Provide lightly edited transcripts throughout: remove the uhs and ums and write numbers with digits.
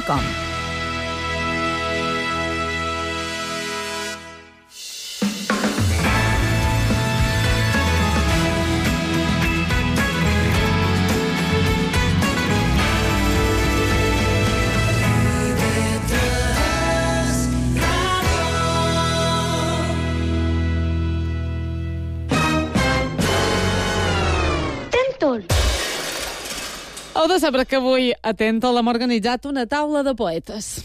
www.radiotrinitat.com. Heu de saber que avui a Tèntol hem organitzat una taula de poetes.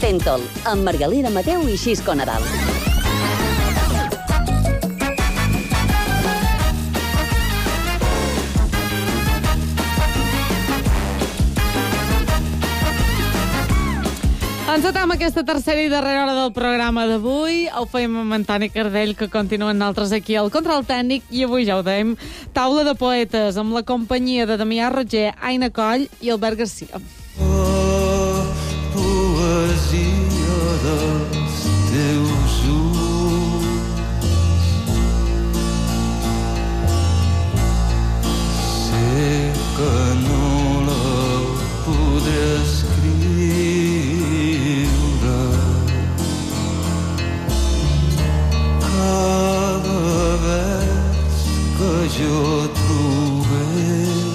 Tèntol, amb Margalida Mateu i Xisco Nadal. Encetam aquesta tercera i darrera hora del programa d'avui. Ho feim amb Antoni Cardell, que continuen nosaltres aquí al control tècnic, i avui ja ho dèiem, taula de poetes, amb la companyia de Damià Roger, Aina Coll i Albert Garcia. Oh, poesia dels teus ulls, sé que no la podré escriure, cada vers que jo trobés.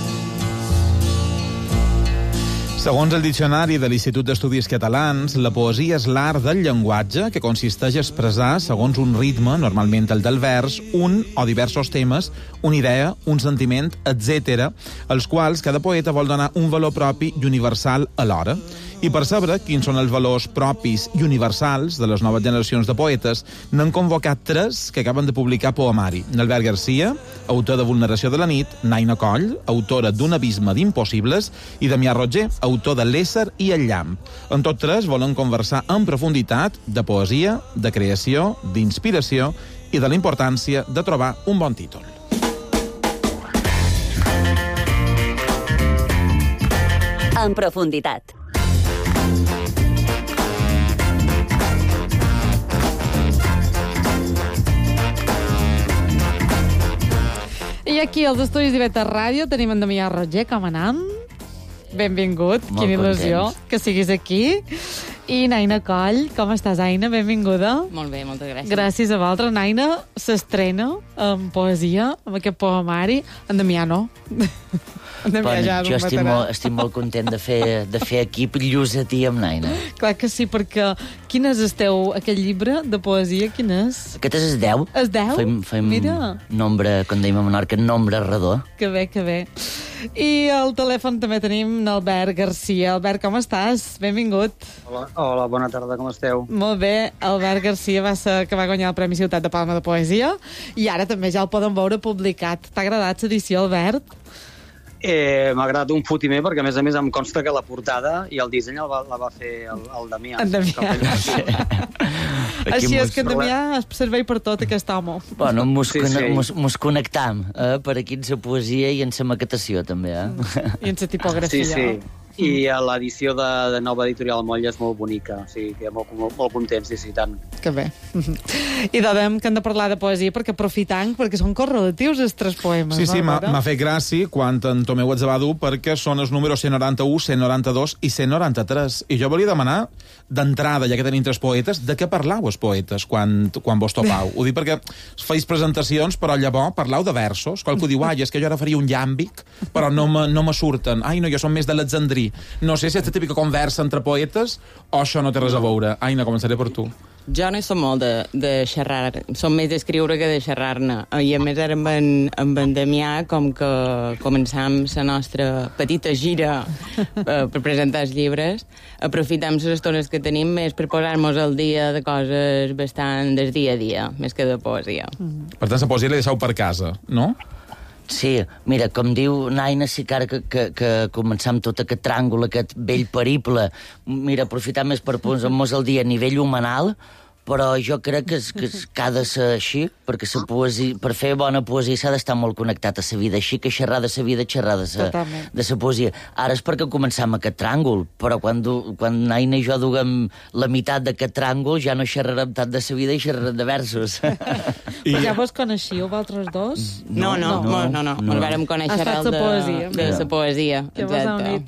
Segons el Diccionari de l'Institut d'Estudis Catalans, la poesia és l'art del llenguatge que consisteix a expressar, segons un ritme, normalment el del vers, un o diversos temes, una idea, un sentiment, etc., als quals cada poeta vol donar un valor propi i universal alhora. I per saber quins són els valors propis i universals de les noves generacions de poetes, n'han convocat 3 que acaben de publicar poemari. Albert Garcia, autor de Vulneració de la nit, Naina Coll, autora d'un abisme d'impossibles, i Damià Roger, autor de L'ésser i el llamp. En tots 3 volen conversar en profunditat de poesia, de creació, d'inspiració i de la importància de trobar un bon títol. En profunditat. I aquí, als estudis d'Iveta Ràdio, tenim en Damià Roger. Com anam? Benvingut. Molt Quina il·lusió contents. que siguis aquí. I Naina Coll, com estàs, Aina? Benvinguda. Molt bé, moltes gràcies. Gràcies a vosaltres. Naina s'estrena en poesia, amb aquest poemari. En Damià no. En Damià ja Jo estic molt content de fer equip llusatí amb Naina. Clar que sí, perquè quin és el teu, aquest llibre de poesia? Quin és? Aquest és el 10. El 10? Fem Mira. nombre, com dèiem a Menorca, nombre redó. Que bé, que bé. I al telèfon també tenim l'Albert Garcia. Albert, com estàs? Benvingut. Hola, bona tarda, com esteu? Molt bé. Albert Garcia va ser que va guanyar el Premi Ciutat de Palma de Poesia i ara també ja el poden veure publicat. T'ha agradat l'edició, Albert? M'ha agradat un fotimer perquè, a més, em consta que la portada i el disseny la va fer el Damià. En Damià. Així és que en Damià es servei per tot, aquest home. Bueno, mos connectam per aquí en la poesia i en la maquetació, també. I en la tipografia. Sí. I l'edició de nova editorial Molla és molt bonica, o sigui que molt contents, sí, tant. Que bé. I dèiem que hem de parlar de poesia perquè aprofitant, perquè són correlatius els 3 poemes. Sí, no, m'ha fet gràcia quan en Tomeu els va dur perquè són els números 191, 192 i 193. I jo volia demanar, d'entrada, ja que tenim 3 poetes, de què parlau els poetes quan vos topau? Ho dic perquè feis presentacions, però llavors parlau de versos. Qualcú diu, és que jo ara faria un llàmbic, però no me surten. No, jo som més d'Alexandrí. No sé si és la típica conversa entre poetes o això no té res a veure. Aina, començaré per tu. Jo no som molt de xerrar, som més d'escriure que de xerrar-ne. I a més ara amb en Damià, com que començam la nostra petita gira per presentar els llibres, aprofitem les estones que tenim més per posar-nos al dia de coses bastant del dia a dia, més que de poesia. Per tant, la poesia la deixeu per casa, no? Sí, mira, com diu Naina, sí que ara que començam tot aquest tràngol, aquest vell periple, mira, aprofitar més per posar-nos al dia a nivell humanal, però jo crec que ha de ser així, perquè la poesia, per fer bona poesia s'ha d'estar molt connectat a la vida, així que xerrar de la vida, xerrar de la poesia. Ara és perquè començam aquest tràngol, però quan Aina i jo duguem la meitat d'aquest tràngol ja no xerrarem tant de la vida i xerrarem de versos. Però ja vos coneixíeu, vosaltres dos? No. Ens vàrem conèixer de la poesia. Que vos heu unit.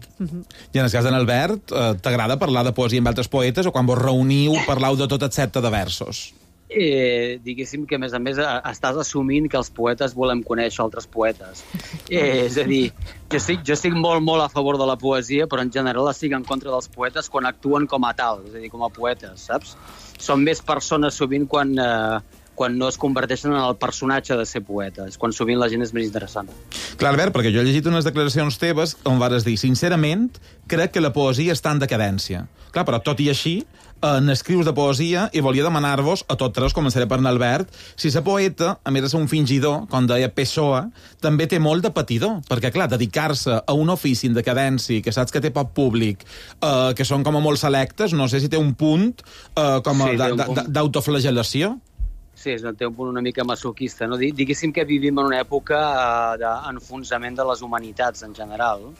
I en el cas d'en Albert, t'agrada parlar de poesia amb altres poetes o quan vos reuniu parlau de tot excepte de versos? Diguéssim que, a més, estàs assumint que els poetes volem conèixer altres poetes. És a dir, jo estic molt, molt a favor de la poesia, però en general estic en contra dels poetes quan actuen com a tal, és a dir, com a poetes, saps? Són més persones sovint quan no es converteixen en el personatge de ser poeta. És quan sovint la gent és més interessant. Clar, Albert, perquè jo he llegit unes declaracions teves on vares dir, sincerament, crec que la poesia està en decadència. Clar, però tot i així, n'escrius de poesia i volia demanar-vos, a tots tres, començaré per Albert, si la poeta, a més de ser un fingidor, com deia Pessoa, també té molt de patidor, perquè, clar, dedicar-se a un ofici en decadència, que saps que té poc públic, que són com a molt selectes, no sé si té un punt d'autoflagel·lació. Sí, té un punt una mica masoquista, no? Diguéssim que vivim en una època d'enfonsament de les humanitats en general,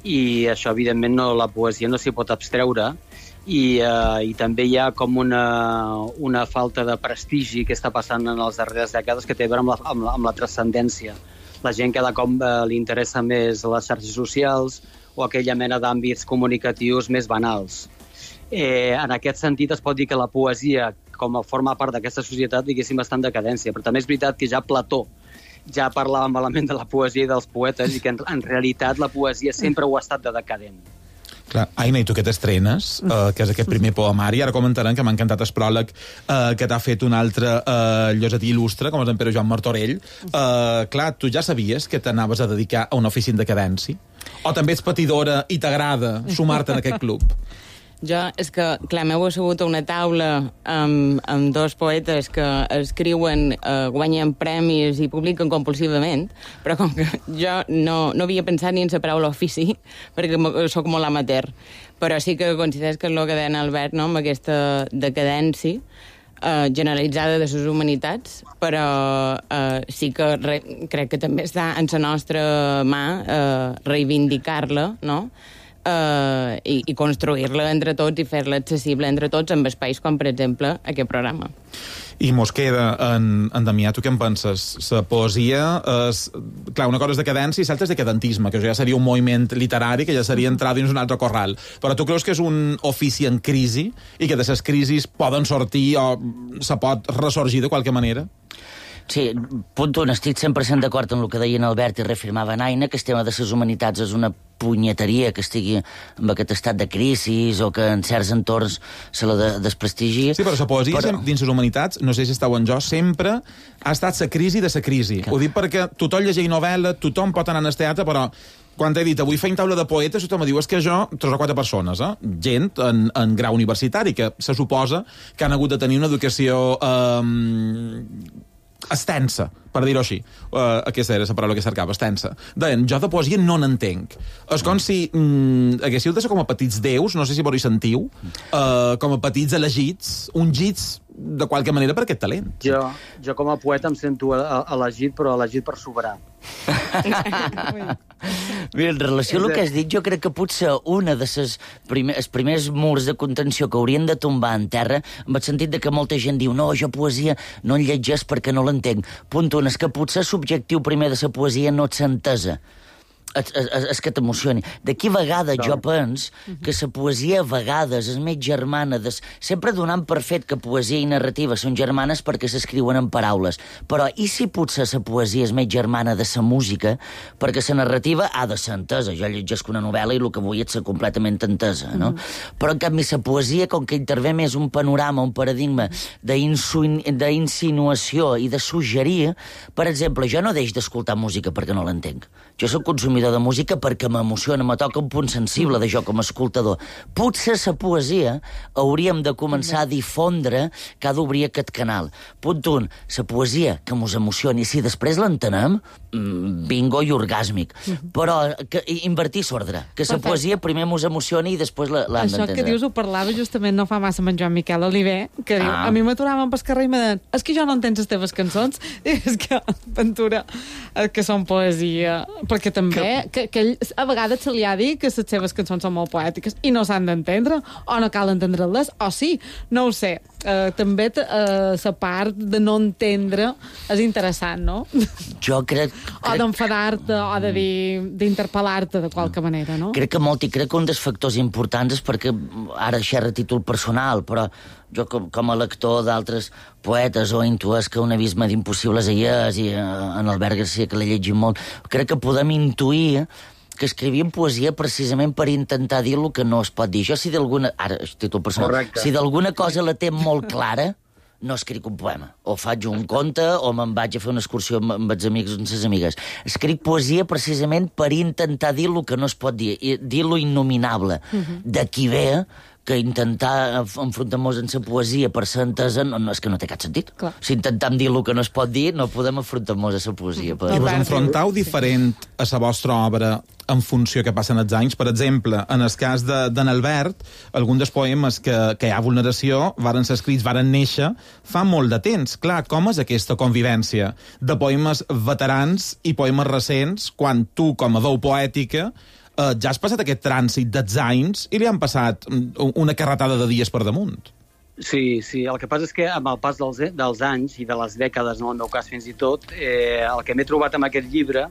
i això, evidentment, la poesia no s'hi pot abstreure, i també hi ha com una falta de prestigi que està passant en les darreres dècades que té a veure amb la transcendència. La gent cada cop li interessa més les xarxes socials o aquella mena d'àmbits comunicatius més banals. En aquest sentit es pot dir que la poesia, com a forma part d'aquesta societat, diguéssim, està en decadència. Però també és veritat que ja Plató ja parlava malament de la poesia i dels poetes i que en realitat la poesia sempre ho ha estat de decadent. Clar, Aina, i tu que t'estrenes, que és aquest primer poemari, ara comentaran que m'ha encantat el pròleg que t'ha fet un altre llosetí il·lustre, com és en Pere Joan Martorell. Clar, tu ja sabies que t'anaves a dedicar a un ofici en decadència? O també ets patidora i t'agrada sumar-te en aquest club? Jo, és que, clar, m'heu assegut a una taula amb dos poetes que escriuen, guanyen premis i publiquen compulsivament, però com que jo no havia pensat ni en la paraula ofici, perquè sóc molt amateur, però sí que consideres que és el que deia Albert, no?, amb aquesta decadència generalitzada de les humanitats, però sí que crec que també està en la nostra mà reivindicar-la, no?, i construir-la entre tots i fer-la accessible entre tots amb espais com, per exemple, aquest programa. I mos queda, en Damià, tu què en penses? La poesia és... Clar, una cosa és decadència i l'altra és decadentisme, que ja seria un moviment literari, que ja seria entrar dins un altre corral. Però tu creus que és un ofici en crisi i que de les crisis poden sortir o se pot ressorgir de qualque manera? Sí, punt un, estic 100% d'acord amb el que deien Albert i reafirmava Aina, que el tema de les humanitats és una punyeteria que estigui en aquest estat de crisi o que en certs entorns se la desprestigi. Sí, però la poesia dins les humanitats, no sé si estàu en jo, sempre ha estat la crisi de la crisi. Ho dic perquè tothom llegeix novel·la, tothom pot anar al teatre, però quan t'he dit, avui feim taula de poetes, tothom me diu, és que jo, 3 o 4 persones, gent en grau universitari, que se suposa que han hagut de tenir una educació extensa, per dir-ho així. Aquesta era la paraula que cercava, extensa. Deien, jo de poesia no n'entenc. És com si haguéssiu de ser com a petits déus, no sé si vos hi sentiu, com a petits elegits, ungits de qualque manera per aquest talent. Jo com a poeta em sento elegit, però elegit per soberar. Bé, en relació al que has dit, jo crec que potser una de els primers murs de contenció que haurien de tombar en terra, en el sentit de que molta gent diu no, jo poesia no en llegeix perquè no l'entenc. Punt un, és que potser l'objectiu primer de la poesia no ets entesa. És que t'emocioni. D'aquí a vegades jo penso que la poesia a vegades és més germana, sempre donant per fet que poesia i narrativa són germanes perquè s'escriuen en paraules. Però i si potser la poesia és més germana de la música, perquè la narrativa ha de ser entesa. Jo llegeixo una novel·la i el que vull és ser completament entesa, no? Però en canvi la poesia, com que intervé més un panorama, un paradigma d'insinuació i de suggerir, per exemple, jo no deixo d'escoltar música perquè no l'entenc. Jo soc consumidor seguidor de música perquè m'emociona, me toca un punt sensible de jo com a escoltador. Potser la poesia hauríem de començar a difondre que ha d'obrir aquest canal. Punt 1, la poesia que mos emocioni. Si després l'entenem, bingo i orgàsmic. Però que invertir l'ordre. Que la poesia primer mos emocioni i després l'hem d'entendre. Això que dius ho parlava justament no fa massa amb en Joan Miquel Oliver, que diu, a mi m'aturaven pel carrer i me deien, és que jo no entenc les teves cançons. I és que, Ventura, que són poesia. Perquè també, que ell a vegades se li ha dit que les seves cançons són molt poètiques i no s'han d'entendre, o no cal entendre-les, o sí, no ho sé. També la part de no entendre és interessant, no? Jo crec... O d'enfadar-te, o de dir, d'interpel·lar-te de qualque manera, no? Crec que un dels factors importants és perquè, ara xerra a títol personal, però jo com a lector d'altres poetes o intues que un abisme d'impossibles hi és, i en Albert Garcia, que l'he llegit molt, crec que podem intuir que escrivien poesia precisament per intentar dir el que no es pot dir. Jo, si d'alguna... Ara, títol personal. Correcte. Si d'alguna cosa la té molt clara, no escric un poema. O faig un conte, o me'n vaig a fer una excursió amb els amics o amb les amigues. Escric poesia precisament per intentar dir el que no es pot dir, dir lo innominable. D'aquí ve que intentar enfrontar-nos en la poesia per ser entesa és que no té cap sentit. Clar. Si intentem dir el que no es pot dir, no podem enfrontar-nos a la poesia. I vos enfrontau diferent a la vostra obra en funció que passen els anys? Per exemple, en el cas d'en Albert, alguns dels poemes que hi ha vulneració varen ser escrits, varen néixer fa molt de temps. Clar, com és aquesta convivència de poemes veterans i poemes recents quan tu, com a veu poètica, ja has passat aquest trànsit dels anys i li han passat una carretada de dies per damunt? Sí, el que passa és que amb el pas dels anys i de les dècades, en el meu cas fins i tot, el que m'he trobat amb aquest llibre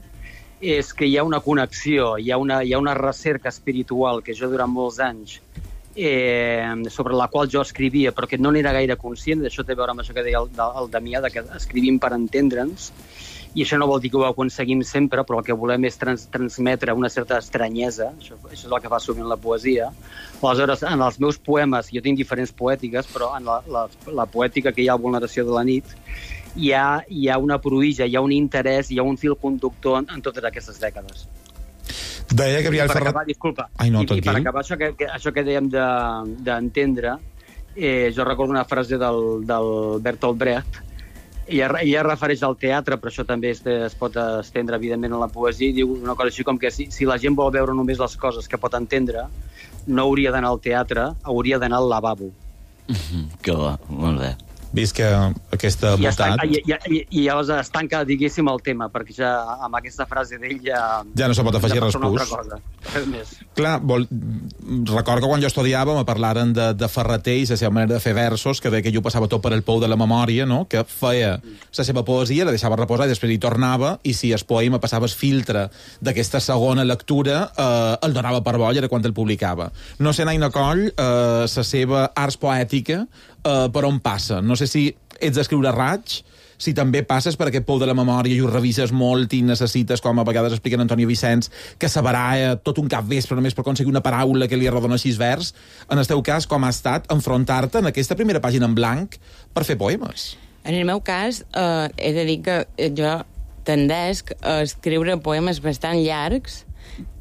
és que hi ha una connexió, hi ha una recerca espiritual que jo durant molts anys sobre la qual jo escrivia, però que no n'era gaire conscient. Això té a veure amb això que deia el Damià, que escrivim per entendre'ns, i això no vol dir que ho aconseguim sempre, però el que volem és transmetre una certa estranyesa, això és el que fa sovint la poesia. Aleshores, en els meus poemes, jo tinc diferents poètiques, però en la poètica que hi ha a Vulneració de la nit, hi ha una pruïja, hi ha un interès, hi ha un fil conductor en totes aquestes dècades. Deia Gabriel Ferrat... Disculpa. Ai, no, I per acabar això que dèiem d'entendre, jo recordo una frase del Bertolt Brecht. Ella refereix al teatre, però això també es pot estendre, evidentment, a la poesia, i diu una cosa així com que si la gent vol veure només les coses que pot entendre, no hauria d'anar al teatre, hauria d'anar al lavabo. Que bo, molt bé. Vist que aquesta voltat... I llavors es tanca, diguéssim, el tema, perquè ja amb aquesta frase d'ell ja no se pot afegir res més. Clar, recordo que quan jo estudiava me parlaren de Ferrater i la seva manera de fer versos, que deia que jo passava tot per el pou de la memòria, no? Que feia la seva poesia, la deixava reposar i després hi tornava, i si el poema passava el filtre d'aquesta segona lectura, el donava per bo i era quan el publicava. No sé, Naina Coll, la seva arts poètica, per on passa? No sé si ets d'escriure raig, si també passes per aquest pou de la memòria i ho revises molt i necessites, com a vegades explica Antònia Vicenç, que s'abarà tot un capvespre només per aconseguir una paraula que li arrodona 6 vers. En el teu cas, com ha estat enfrontar-te en aquesta primera pàgina en blanc per fer poemes? En el meu cas, he de dir que jo tendesc a escriure poemes bastant llargs,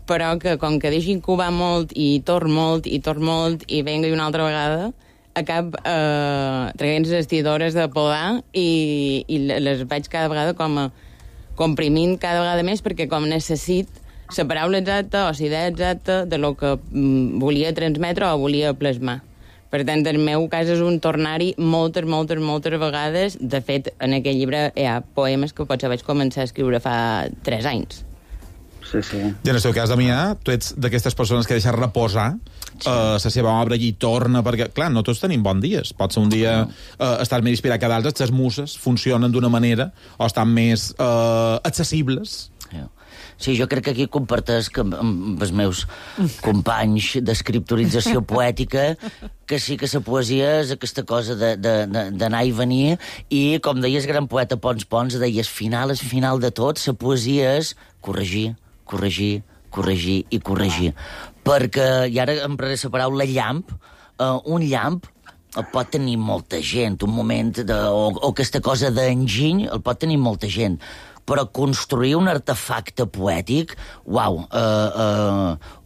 però que com que deixin cubar molt i torn molt i venga una altra vegada, acab traient les estidores de podar i les vaig cada vegada com comprimint cada vegada més, perquè com necessit la paraula exacta o la idea exacta de lo que volia transmetre o volia plasmar. Per tant, el meu cas és un tornar-hi moltes vegades. De fet, en aquest llibre hi ha poemes que potser vaig començar a escriure fa 3 anys. Sí. I en el seu cas, Damià, tu ets d'aquestes persones que deixa reposar la seva obra i torna, perquè, clar, no tots tenim bons dies. Pot ser un dia estar més inspirat que d'altres, les muses funcionen d'una manera o estan més accessibles. Sí, jo crec que aquí compartesc amb els meus companys d'escriptorització poètica que sí que la poesia és aquesta cosa d'anar i venir, i, com deies, gran poeta Pons, deies, al final de tot, la poesia és corregir, perquè, i ara empraré la paraula llamp, un llamp pot tenir molta gent, un moment o aquesta cosa d'enginy el pot tenir molta gent, però construir un artefacte poètic, uau,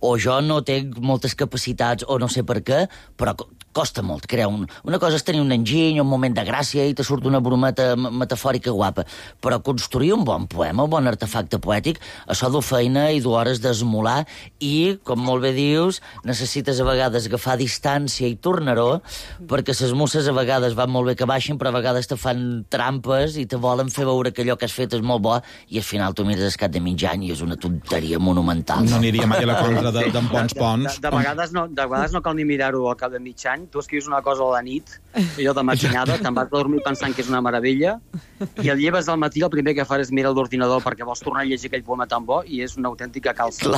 o jo no tinc moltes capacitats, o no sé per què, però costa molt crear una cosa és tenir un enginy, un moment de gràcia i te surt una brometa metafòrica guapa, però construir un bon poema, un bon artefacte poètic, això du feina i du hores d'esmolar i, com molt bé dius, necessites a vegades agafar distància i tornar-ho, perquè les musses a vegades van molt bé que baixin, però a vegades te fan trampes i te volen fer veure que allò que has fet és molt bo i al final tu mires al cap de mig any i és una tonteria monumental. No aniria mai a la contra d'en Pons. De vegades no cal ni mirar-ho al cap de mig any. Tu escrius una cosa a la nit, allò de matinada, te'n vas a dormir pensant que és una meravella, i el lleves al matí, el primer que fas és mirar l'ordinador perquè vols tornar a llegir aquell poema tan bo i és una autèntica calça.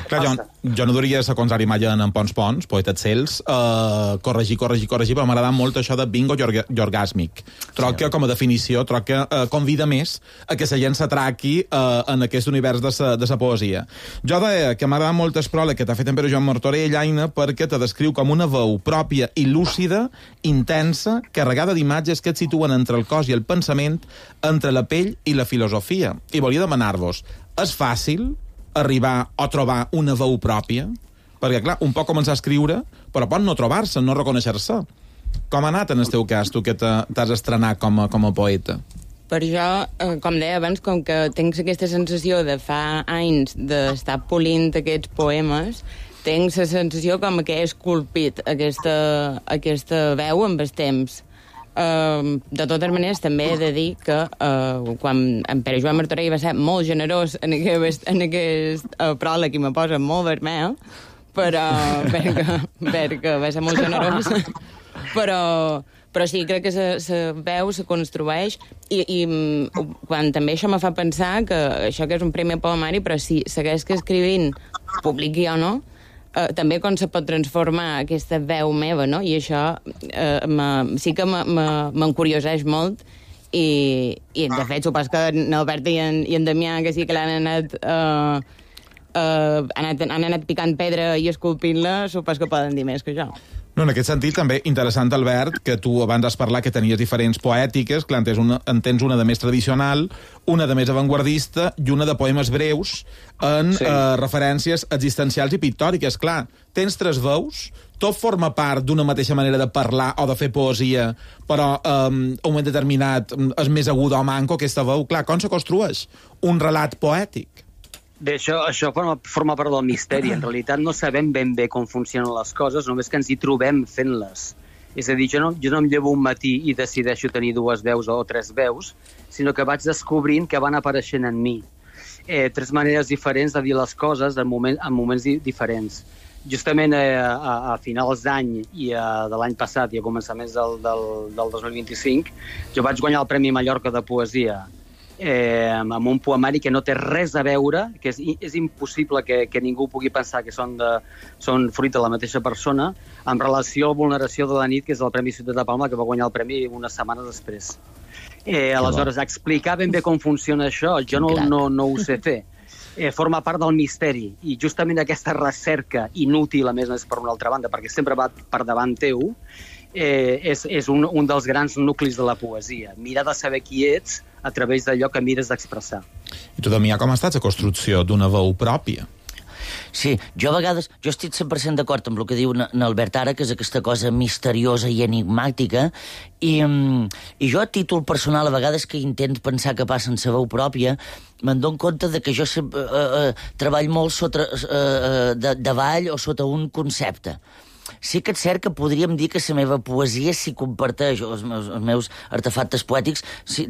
Clar, jo no duria ser contrari mai en Pons, poeta Cels, corregir, però m'agrada molt això de bingo orgàsmic. Troc que, com a definició, convida més a que la gent s'atraqui en aquest univers de la poesia. Jo deia que m'agrada molt el pròleg que t'ha fet en Pere Joan Martorell, Aina, perquè te descriu com una veu pròpia i lúcida, intensa, carregada d'imatges que et situen entre el cos i el pensament, entre la pell i la filosofia. I volia demanar-vos, és fàcil arribar o trobar una veu pròpia? Perquè, clar, un pot començar a escriure, però pot no trobar-se, no reconèixer-se. Com ha anat en el teu cas, tu que t'has estrenat com a poeta? Per jo, com deia abans, com que tinc aquesta sensació de fa anys d'estar polint aquests poemes, tinc la sensació com que he esculpit aquesta veu amb el temps. De totes maneres, també he de dir que quan en Pere Joan Martorell va ser molt generós en aquest pròleg i me posa molt vermell, però perquè va ser molt generós, però sí, crec que la veu se construeix i quan també això me fa pensar que això que és un primer poemari, però si segueix que escrivint, publiqui o no, també com se pot transformar aquesta veu meva, no? I això sí que m'encurioseix molt i de fet, supos que en Albert i en Damià, que sí que l'han anat picant pedra i esculpint-la, supos que poden dir més que jo. No, en aquest sentit, també interessant, Albert, que tu abans has parlat que tenies diferents poètiques, clar, en tens una de més tradicional, una de més avantguardista i una de poemes breus en referències existencials i pictòriques. Clar, tens tres veus, tot forma part d'una mateixa manera de parlar o de fer poesia, però en un moment determinat és més aguda o manco aquesta veu. Clar, com se construeix un relat poètic? Bé, això forma part del misteri. En realitat no sabem ben bé com funcionen les coses, només que ens hi trobem fent-les. És a dir, jo no em llevo un matí i decideixo tenir dues veus o tres veus, sinó que vaig descobrint que van apareixent en mi. Tres maneres diferents de dir les coses en moments diferents. Justament a finals d'any i de l'any passat i a començaments del 2025, jo vaig guanyar el Premi Mallorca de Poesia amb un poemari que no té res a veure, que és impossible que ningú pugui pensar que són fruit de la mateixa persona, en relació a Vulneració de la nit, que és el Premi Ciutat de Palma, que va guanyar el premi unes setmanes després. Aleshores, explicar ben bé com funciona això, jo no ho sé fer. Forma part del misteri, i justament aquesta recerca inútil, a més per una altra banda, perquè sempre va per davant teu, és un dels grans nuclis de la poesia. Mirar de saber qui ets a través d'allò que mires d'expressar. I tu, Damià, com ha estat la construcció d'una veu pròpia? Sí, jo a vegades, jo estic 100% d'acord amb el que diu n'Albert ara, que és aquesta cosa misteriosa i enigmàtica, i jo a títol personal, a vegades que intent pensar que passa en la veu pròpia, me'n dono compte de que jo treballo molt sota davall o sota un concepte. Sí que és cert que podríem dir que la meva poesia s'hi comparteix, els meus artefactes poètics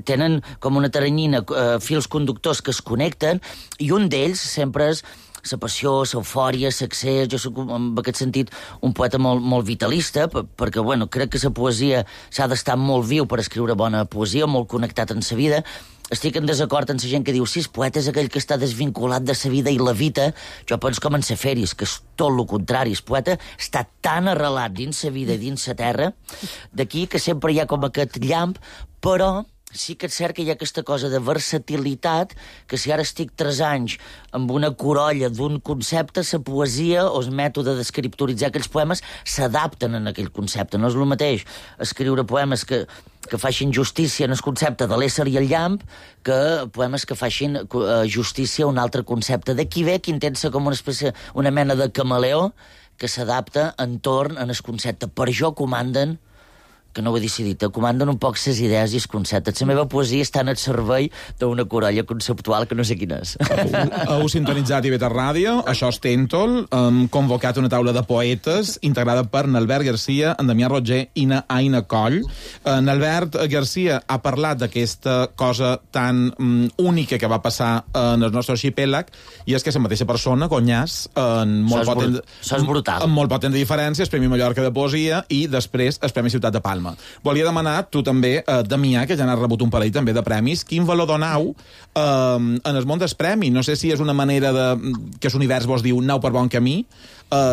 tenen com una taranyina, fils conductors que es connecten, i un d'ells sempre és la passió, l'eufòria, l'accés. Jo soc, en aquest sentit, un poeta molt vitalista, perquè, crec que la poesia s'ha d'estar molt viu per escriure bona poesia, molt connectat en la vida. Estic en desacord amb la gent que diu el poeta és aquell que està desvinculat de la vida i la vida. Jo penso com en Seferis, que és tot el contrari. El poeta està tan arrelat dins la vida i dins la terra, d'aquí que sempre hi ha com aquest llamp, però sí que és cert que hi ha aquesta cosa de versatilitat, que si ara estic 3 anys amb una corolla d'un concepte, la poesia o el mètode d'escriptoritzar aquells poemes s'adapten en aquell concepte. No és el mateix escriure poemes que facin justícia en el concepte de l'ésser i el llamp que poemes que facin justícia a un altre concepte. D'aquí ve que intenta ser com una mena de camaleó que s'adapta entorn en el concepte. Per això comanden, que no ho he decidit, comanden un poc ses idees i els conceptes. La meva poesia està en el servei d'una corolla conceptual que no sé quina és. Heu sintonitzat IB Ràdio, això és Tèntol, hem convocat una taula de poetes integrada per Nalbert Garcia, en Damià Roger i na Aina Coll. Nalbert Garcia ha parlat d'aquesta cosa tan única que va passar en el nostre arxipèlag, i és que la mateixa persona guanyàs en molt poc temps de diferència el Premi Mallorca de Poesia i després el Premi Ciutat de Palma. Volia demanar, tu també, Damià, que ja n'has rebut un parell també de premis, quin valor donau en el món dels premis? No sé si és una manera que l'univers vos diu aneu per bon camí,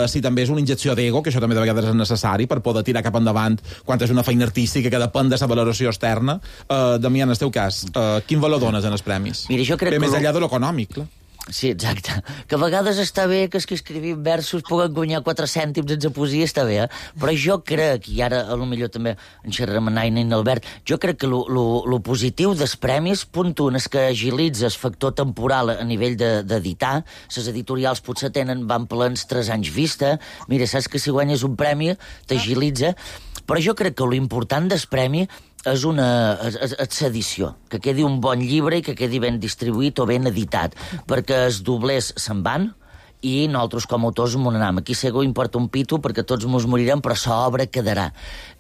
si també és una injecció d'ego, que això també de vegades és necessari per poder tirar cap endavant quan és una feina artística que depèn de la valoració externa. Damià, en el teu cas, quin valor dones en els premis? Mira, jo crec més enllà de l'econòmic, clar. Sí, exacte. Que a vegades està bé que els que escrivim versos puguen guanyar 4 cèntims en la poesia, està bé, Però jo crec, i ara potser també en xerrem amb Aina i Albert, jo crec que lo positiu dels premis, punt un, és que agilitza el factor temporal a nivell d'editar. Les editorials potser van plens 3 anys vista. Mira, saps que si guanyes un premi t'agilitza. Però jo crec que l'important del premi és l'edició, que quedi un bon llibre i que quedi ben distribuït o ben editat, perquè els doblers se'n van i nosaltres com a autors m'ho anem. Aquí segur importa un pito perquè tots mos morirem, però l'obra quedarà.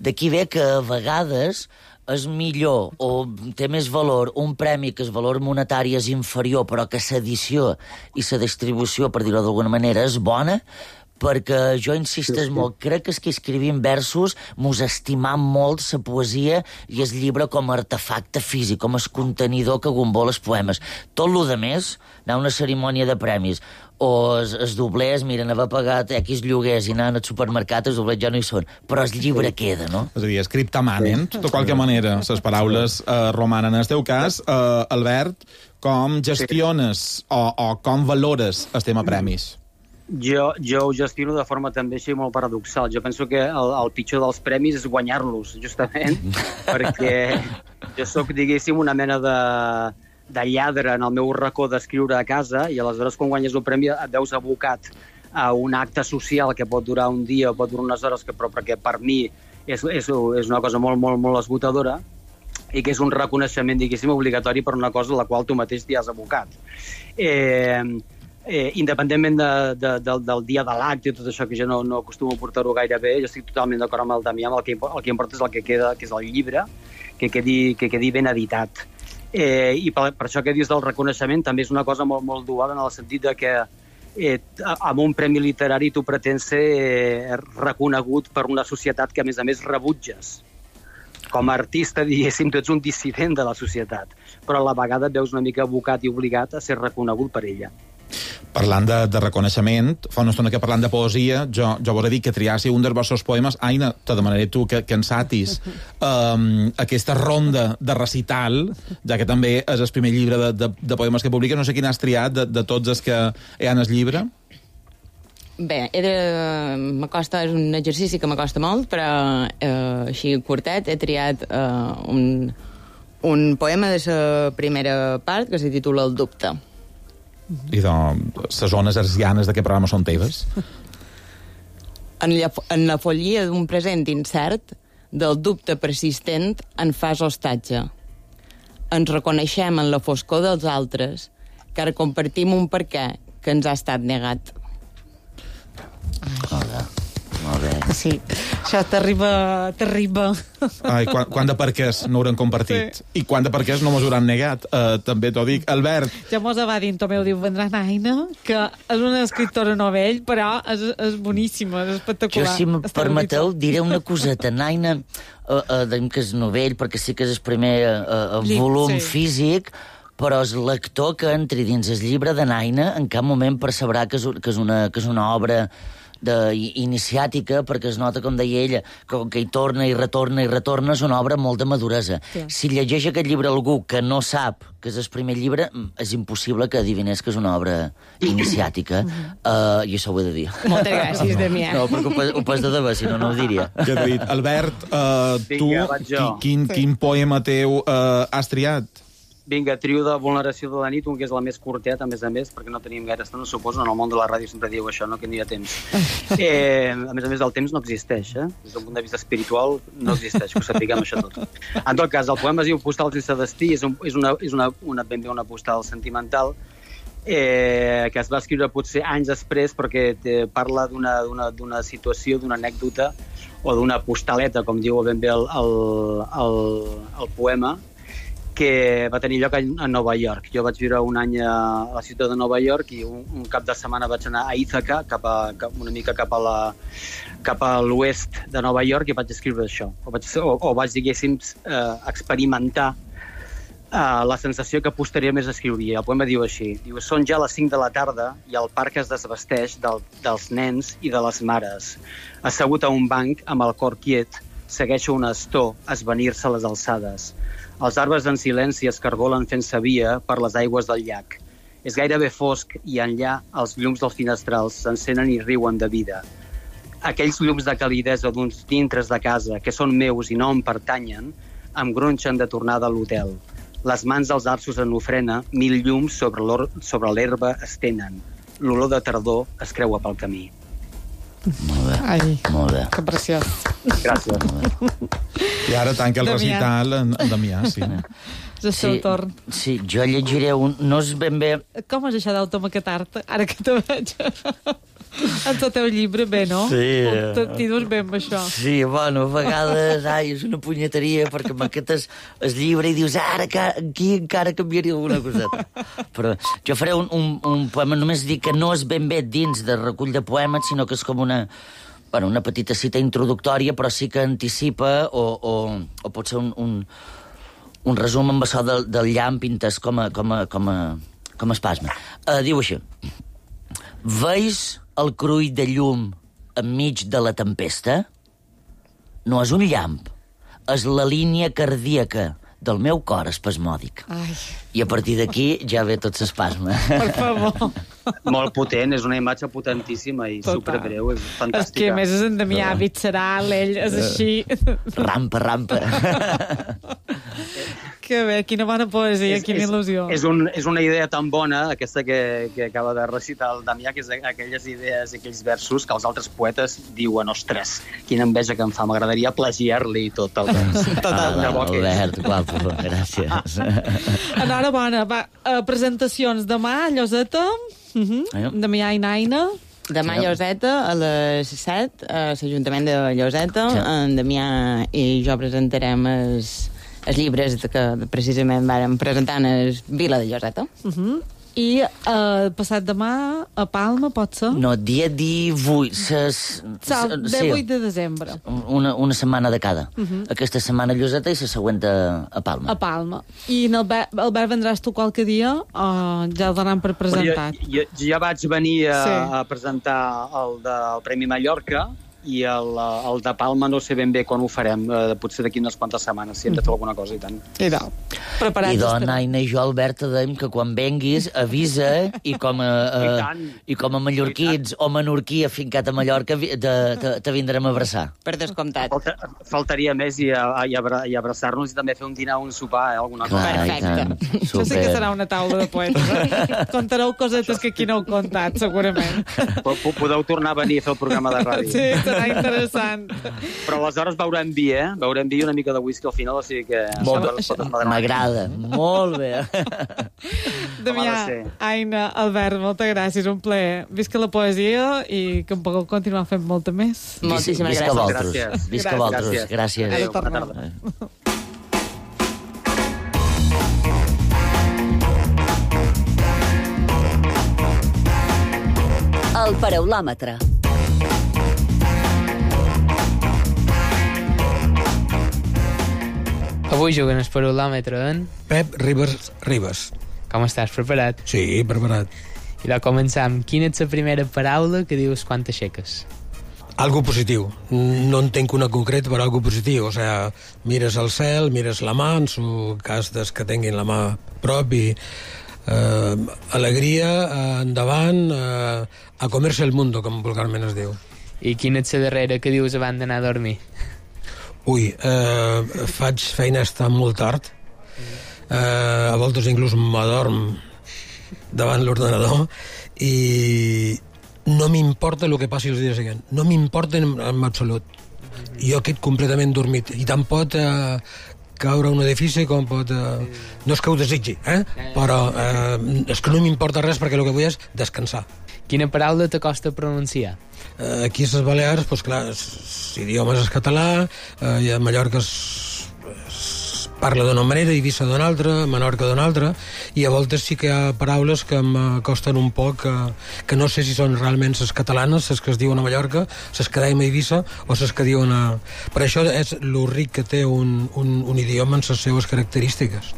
D'aquí ve que a vegades és millor o té més valor un premi que el valor monetari és inferior, però que l'edició i la distribució, per dir-ho d'alguna manera, és bona, perquè jo insisteix molt, crec que és que escrivim versos mos estimam molt la poesia i el llibre com a artefacte físic, com a contenidor que gombola els poemes. Tot lo de més, anar a una cerimònia de premis o els doblers, miren, haver pagat X lloguers i anar al supermercat, els doblers ja no hi són, però el llibre queda, no? És a dir, scripta manent, de qualque manera, les paraules romanen. En el teu cas, Albert, com gestiones o com valores el tema premis? Jo ho gestiono de forma també així molt paradoxal. Jo penso que el pitjor dels premis és guanyar-los, justament, perquè jo sóc, diguéssim, una mena de lladre en el meu racó d'escriure a casa, i aleshores quan guanyes un premi et veus abocat a un acte social que pot durar un dia o pot durar unes hores, però perquè per mi és una cosa molt, molt, molt esgotadora, i que és un reconeixement, diguéssim, obligatori per una cosa a la qual tu mateix t'hi has abocat. Independentment del dia de l'acte i tot això, que jo no acostumo a portar-ho gaire bé, jo estic totalment d'acord amb el Damià, el que importa és el que queda, que és el llibre, que quedi ben editat. I per això que dius del reconeixement també és una cosa molt, molt dual, en el sentit de que amb un premi literari tu pretens ser reconegut per una societat que a més rebutges. Com a artista, diguéssim, tu ets un dissident de la societat, però a la vegada et veus una mica abocat i obligat a ser reconegut per ella. Parlant de reconeixement, fa una estona que parlant de poesia, jo vos he dit que triassi un dels vostres poemes. Aina, te demanaré tu que ensatis aquesta ronda de recital, ja que també és el primer llibre de poemes que publiques. No sé quin has triat de tots els que hi ha en el llibre. Bé, és un exercici que m'acosta molt, però així curtet he triat un poema de la primera part que se titula El dubte. I les zones hertzianes d'aquest programa són teves? En la follia d'un present incert, del dubte persistent en fas hostatge. Ens reconeixem en la foscor dels altres, car compartim un perquè que ens ha estat negat. Molt bé. Sí, això t'arriba. Ai, quant de perquès no hauran compartit? Sí. I quant de perquès no mos hauran negat? També t'ho dic. Albert. Ja mos va dir, Tomeu, diu, vendrà Aina, que és una escriptora novell, però és boníssima, és espectacular. Jo, si em permeteu, diré una coseta. Aina, que és novell, perquè sí que és el primer volum físic, però el lector que entri dins el llibre de Naina en cap moment percebrà que és una obra iniciàtica, perquè es nota, com deia ella, que hi torna i retorna, és una obra molt de maduresa. Clar. Si llegeix aquest llibre algú que no sap que és el primer llibre, és impossible que adivinés que és una obra iniciàtica, i això ho he de dir. Moltes gràcies, Damià. No, perquè ho pas de debò, si no, no ho diria. Ja t'he dit. Albert, tu, Vinga, vaig jo. quin poema teu has triat? Vinga, trio de Vulneració de la nit, un que és la més curtet, a més, perquè no tenim gaire estona, suposo, en el món de la ràdio sempre diu això, no, que no hi ha temps. A més, el temps no existeix, Des d'un punt de vista espiritual no existeix, que ho sapiguem això tot. En tot cas, el poema es diu Postal sense destí, és ben bé una postal sentimental, que es va escriure potser anys després, perquè parla d'una situació, d'una anècdota, o d'una postaleta, com diu ben bé el poema, que va tenir lloc a Nova York. Jo vaig viure un any a la ciutat de Nova York i un cap de setmana vaig anar a Ítaca, una mica cap a l'oest de Nova York, i vaig escriure això. O vaig, diguéssim, experimentar la sensació que posteriorment escriuria. El poema diu així, diu: són ja les 5 de la tarda i el parc es desvesteix dels nens i de les mares. Assegut a un banc, amb el cor quiet, segueixo un astor esvenir-se a les alçades. Els arbres en silenci es cargolen fent-se via per les aigües del llac. És gairebé fosc i enllà els llums dels finestrals s'encenen i riuen de vida. Aquells llums de calidesa d'uns dintres de casa que són meus i no em pertanyen em gronxen de tornada a l'hotel. Les mans dels arços en ofrena, 1000 llums sobre l'herba es tenen. L'olor de tardor es creua pel camí. Molt bé. Ai, Molt bé. que preciós. Gràcies. I ara tanca el Damià. recital en Damià, sí. És el seu torn. Sí, jo llegiré un... No és ben bé... Com és això d'automaquetar-te, ara que te veig? En el teu llibre, bé, no? Sí. T'hi dus bé amb això. Sí, bueno, a vegades és una punyeteria perquè maquetes el llibre i dius ara aquí encara canviaria alguna coseta. Però jo faré un poema, només dic que no és ben bé dins de recull de poemes, sinó que és com una petita cita introductòria, però sí que anticipa o pot ser un resum amb això del llamp pintes com a espasme. Diu així: veus el crull de llum enmig de la tempesta? No és un llamp, és la línia cardíaca del meu cor espasmòdic. Ai, I a partir d'aquí ja ve tot l'espasme. per favor. Molt potent, és una imatge potentíssima i Total. superbreu, és És fantàstica. que, a més, és en Damià visceral, ell és així. Rampa. Que bé, quina bona poesia, quina il·lusió. És una idea tan bona, aquesta que acaba de recitar el Damià, que és aquelles idees i aquells versos que els altres poetes diuen: ostres, quina enveja que em fa, m'agradaria plagiar-li tot el vers. Albert, guapo, gràcies. Enhorabona. Va, presentacions demà a Lloseta. Damià i Naina. Demà a Lloseta, a les 7, a l'Ajuntament de Lloseta. Sí. En Damià i jo presentarem els llibres que precisament vàrem presentar en el Vila de Lloseta. I passat demà a Palma, pot ser? No, dia 18. 18 de desembre. Una setmana de cada. Aquesta setmana a Lloseta i la següent a Palma. A Palma. I Albert, vendràs tu qualque dia o ja el donaran per presentat? Jo ja vaig venir Sí. a presentar el del Premi Mallorca i el de Palma no sé ben bé quan ho farem, potser d'aquí unes quantes setmanes, si hem de fer alguna cosa, i tant. I preparats I estarem. Naina i jo, Albert, et dèiem que quan venguis avisa i com a mallorquins o menorquí afincat a Mallorca te vindrem a abraçar. Per descomptat. Faltaria més i abraçar-nos i també fer un dinar o un sopar, alguna cosa. Clar, i Perfecte. tant. Això sí que serà una taula de poetes. Contareu cosetes que aquí no heu contat, segurament. Podeu tornar a venir a fer el programa de ràdio. Sí, serà interessant. Però aleshores beurem vi, Beurem vi i una mica de whisky al final, o sigui que... M'agrada, molt bé. Damià, ser. Aina, Albert, moltes gràcies, un plaer. Visca la poesia i que em pugueu continuar fent molta més. Moltíssimes Visca gràcies. vosaltres. Gràcies. Visca vosaltres. Gràcies. Adéu, bona tornem. tarda. El paraulòmetre. Avui juguen el paraulòmetre en... Pep Ribas. Com estàs, preparat? Sí, preparat. I de començar, quina és la primera paraula que dius quan t'aixeques? Algo positiu. No entenc una concret, però algo positiu. O sea, mires al cel, mires la mà, en su cas des que tinguin la mà prop, i alegria, endavant, a comerse el mundo, com vulgarment es diu. I quina és la darrera que dius abans d'anar a dormir? Ui, faig feina estar molt tard. A voltes inclús m'adorm davant l'ordenador i no m'importa el que passi els dies següents. No m'importa en absolut. Jo quedo completament dormit. I tant pot caure un edifici com pot... No és que ho desitgi, però és que no m'importa res perquè el que vull és descansar. Quina paraula t'acosta a pronunciar? Aquí a les Balears, doncs clar, l'idiomes és català, i a Mallorca es parla d'una manera, Eivissa d'una altra, Menorca d'una altra, i a voltes sí que hi ha paraules que m'acosten un poc, que no sé si són realment les catalanes, les que es diuen a Mallorca, les que deim a Eivissa, o les que diuen a... Per això és lo ric que té un idioma en les seues característiques.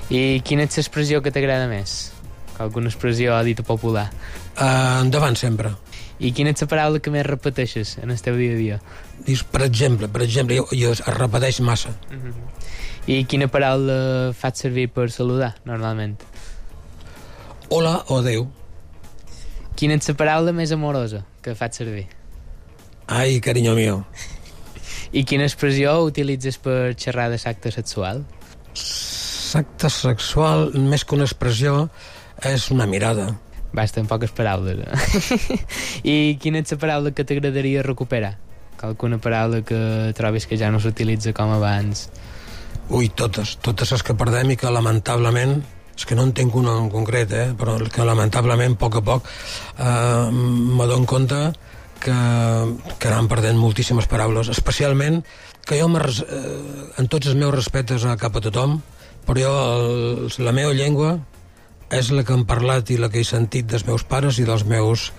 I quina és l'expressió que t'agrada més? Alguna expressió dita popular? Endavant sempre. I quina és la paraula que més repeteixes en el teu dia a dia? Dius, per exemple, jo es repeteix massa. I quina paraula fas servir per saludar, normalment? Hola o adeu. Quina és la paraula més amorosa que fas servir? Ai, cariño mío. I quina expressió utilitzes per xerrar de l'acte sexual? L'acte sexual, més que una expressió, és una mirada. Basta, en poques paraules. I quina és la paraula que t'agradaria recuperar? Alguna paraula que trobis que ja no s'utilitza com abans? Ui, totes les que perdem i que lamentablement, és que no en tinc una en concret, però que lamentablement, a poc m'adono compte que anem perdent moltíssimes paraules, especialment que jo en tots els meus respectes cap a tothom, però jo la meva llengua és la que hem parlat i la que he sentit dels meus pares i dels meus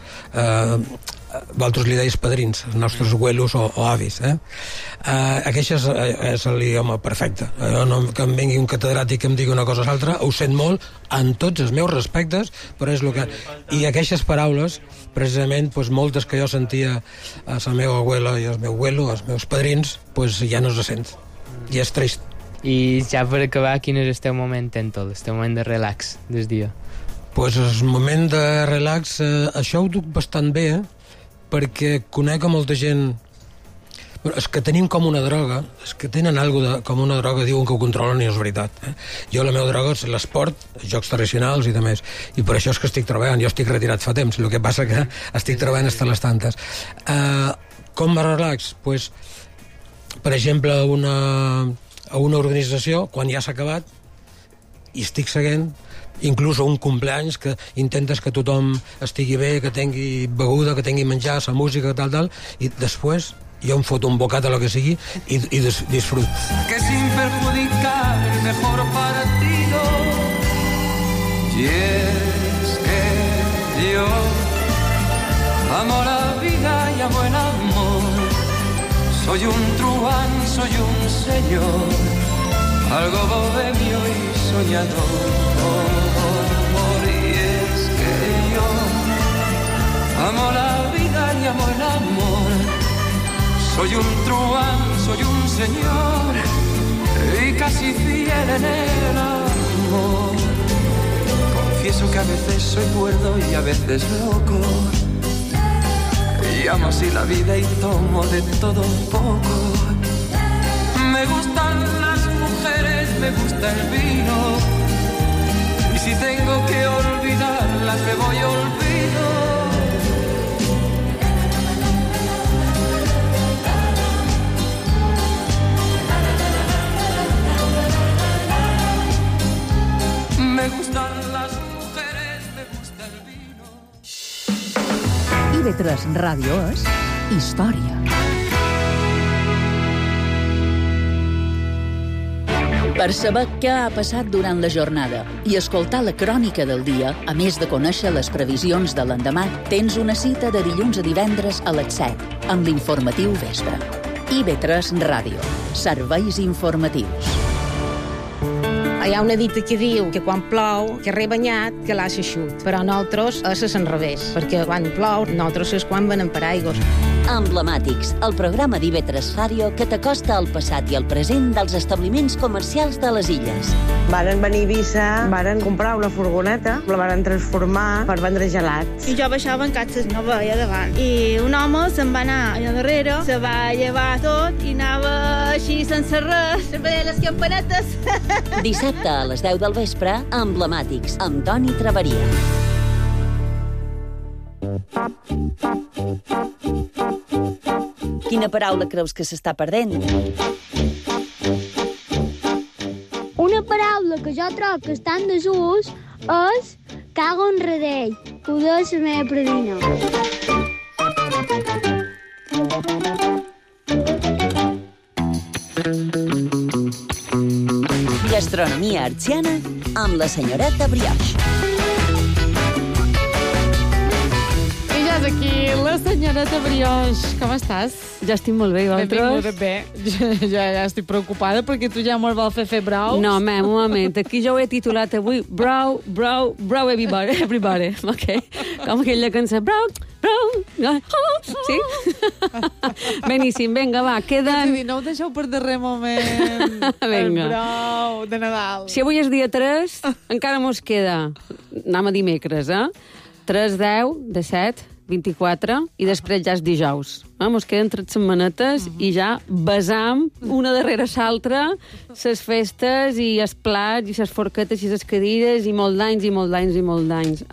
vosaltres li deis padrins, els nostres abuelos o avis. Aquest és l'idioma perfecte. Que em vingui un catedràtic que em digui una cosa o l'altra, ho sent molt, en tots els meus respectes, però és el que... I aquestes paraules, precisament, moltes que jo sentia a la meva abuela i al meu abuelo, als meus padrins, ja no se sent. I és trist. I ja per acabar, quin és el teu moment tèntol, el teu moment de relax del dia? El moment de relax, això ho duc bastant bé, perquè conec a molta gent... És que tenim com una droga, és que tenen alguna com una droga, diuen que ho controlen i no és veritat. Jo la meva droga és l'esport, els jocs tradicionals i demés, i per això és que estic treballant. Jo estic retirat fa temps, el que passa que estic treballant hasta les tantes. Com me relax? Per exemple, a una organització, quan ja s'ha acabat, i estic seguint, inclús a un cumpleaños que intentes que tothom estigui bé, que tingui beguda, que tingui menjar, la música, tal, i després jo em foto un bocat a lo que sigui i disfruto. Que sin perjudicar el mejor partido, y es que yo amo la vida y amo el amor, soy un truán, soy un señor, algo bohemio y soñador. Amo la vida y amo el amor, soy un truán, soy un señor y casi fiel en el amor. Confieso que a veces soy cuerdo y a veces loco, y amo así la vida y tomo de todo un poco. Me gustan las mujeres, me gusta el vino, y si tengo que olvidarlas me voy olvido. Me gustan las mujeres, me gusta el vino. IB3 Ràdio és història. Per saber què ha passat durant la jornada i escoltar la crònica del dia, a més de conèixer les previsions de l'endemà, tens una cita de dilluns a divendres a les 7 amb l'informatiu Vespre. IB3 Ràdio. Serveis informatius. Hi ha una dita que diu que quan plou, que rebanyat, que l'ha xut. Però nosaltres és l'enrevés, perquè quan plou, nosaltres és quan venem per aigües. Emblemàtics, el programa d'IV3 Ràdio que t'acosta al passat i al present dels establiments comercials de les illes. Varen venir a Eivissa, varen comprar una furgoneta, la varen transformar per vendre gelats. I jo baixava en catxes, no veia davant. I un home se'n va anar allà darrere, se va llevar tot i anava així sense res, se veia les campanetes. Dissabte a les 10 del vespre, Emblemàtics, amb Toni Traveria. Quina paraula creus que s'està perdent? Una paraula que jo trobo que està en desús és cago en redell, que ho diu la meva predina. Gastronomia artsiana amb la senyoreta Brioche. Aquí, la senyoreta Brioche. Com estàs? Ja estic molt bé, i vosaltres? Benvinguda, bé. Ja estic preocupada perquè tu ja molt vol fer braus. No, un moment. Aquí jo ho he titulat avui Brau, everybody. Ok? Com aquella cançó. Brau. Sí? Beníssim, vinga, va, queden... No ho deixeu per darrer moment. El brau de Nadal. Si avui és dia 3, encara mos queda, anem a dimecres, 3, 10, 17, 24, i després ja és dijous. Mos queden 3 setmanetes i ja besam una darrere l'altra les festes i els plats i les forquetes i les cadires i molt d'anys.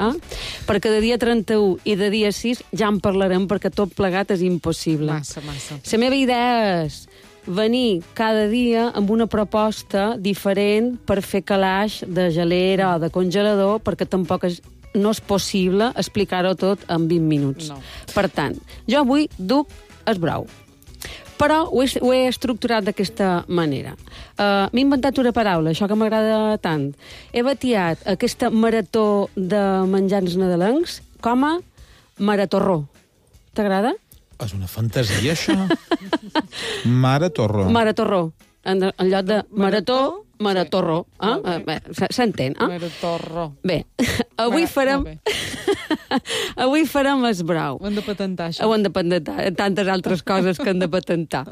Perquè de dia 31 i de dia 6 ja en parlarem perquè tot plegat és impossible. Massa. La meva idea és venir cada dia amb una proposta diferent per fer calaix de gelera o de congelador, perquè tampoc no és possible explicar-ho tot en 20 minuts. No. Per tant, jo avui duc el brau. Però ho he estructurat d'aquesta manera. M'he inventat una paraula, això que m'agrada tant. He batiat aquesta marató de menjars nadalencs com a maratorró. T'agrada? És una fantasia, això. Maratorró. Maratorró. En lloc de marató, maratorró. S'entén? Maratorró. Bé, avui farem el brau. Ho hem de patentar, això. Ho hem de patentar, tantes altres coses que hem de patentar.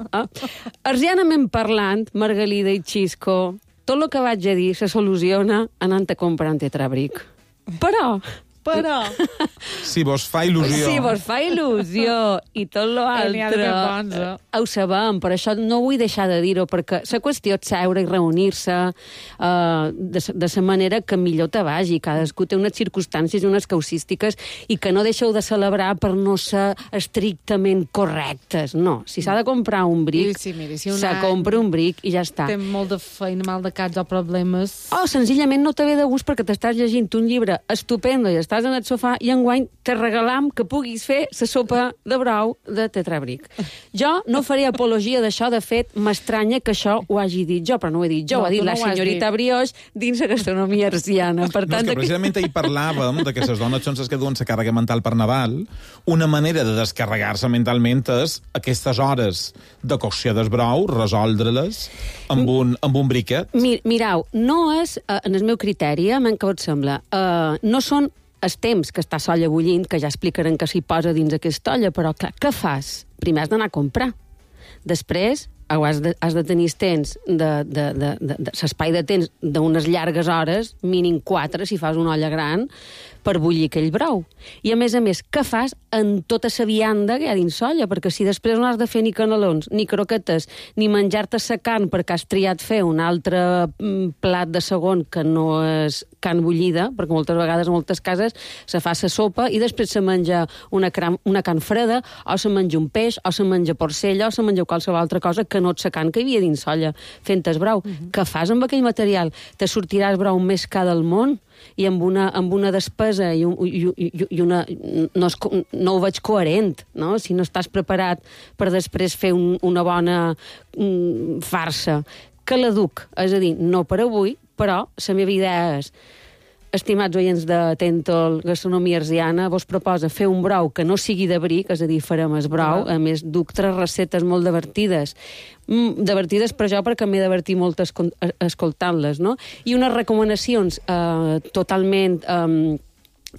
Arsianament parlant, Margalida i Xisco, tot el que vaig a dir se soluciona anant a comprar un tetrabric. Però... Si vos fa il·lusió. Si vos fa il·lusió i tot l'altre ho sabem, per això no vull deixar de dir-ho, perquè la qüestió és seure i reunir-se de la manera que millor te vagi. Cadascú té unes circumstàncies i unes causístiques i que no deixeu de celebrar per no ser estrictament correctes. No, si s'ha de comprar un bric, se compra un bric i ja està. Té molt de feina, mal de caps o problemes. O senzillament no te ve de gust perquè t'estàs llegint un llibre estupendo i estàs en el sofà i enguany te regalam que puguis fer la sopa de brau de tetrabric. Jo no faré apologia d'això, de fet, m'estranya que això ho hagi dit jo, però no ho he dit jo, ho ha dit la senyorita Brioche dins la gastronomia arsiana. Per tant, no, és que precisament ahir parlàvem de que les dones són les que duen la càrrega mental per Nadal. Una manera de descarregar-se mentalment és aquestes hores de cocció del brau, resoldre-les amb un briquet. Mirau, no és, en el meu criteri, que et sembla, no són el temps que està l'olla bullint, que ja explicarem que s'hi posa dins aquesta olla, però clar, què fas? Primer has d'anar a comprar. Després has de tenir temps l'espai de temps d'unes llargues hores, mínim 4, si fas una olla gran, per bullir aquell brou. I, a més, què fas en tota la vianda que hi ha dins l'olla? Perquè si després no has de fer ni canelons, ni croquetes, ni menjar-te la carn perquè has triat fer un altre plat de segon que no és carn bullida, perquè moltes vegades, en moltes cases, se fa la sopa i després se menja una carn freda, o se menja un peix, o se menja porcella, o se menja qualsevol altra cosa que no és la carn que hi havia dins l'olla fent el brou. Què fas amb aquell material? Te sortirà el brou més car del món i amb una despesa i una... No ho veig coherent, no? Si no estàs preparat per després fer una bona farsa. Que la duc, és a dir, no per avui, però la meva idea és estimats oients de Tentol Gastronomia Arsiana, vos proposa fer un brou que no sigui de bric, és a dir, farem el brou, a més duc 3 receptes molt divertides per jo perquè m'he divertit molt escoltant-les, no? I unes recomanacions totalment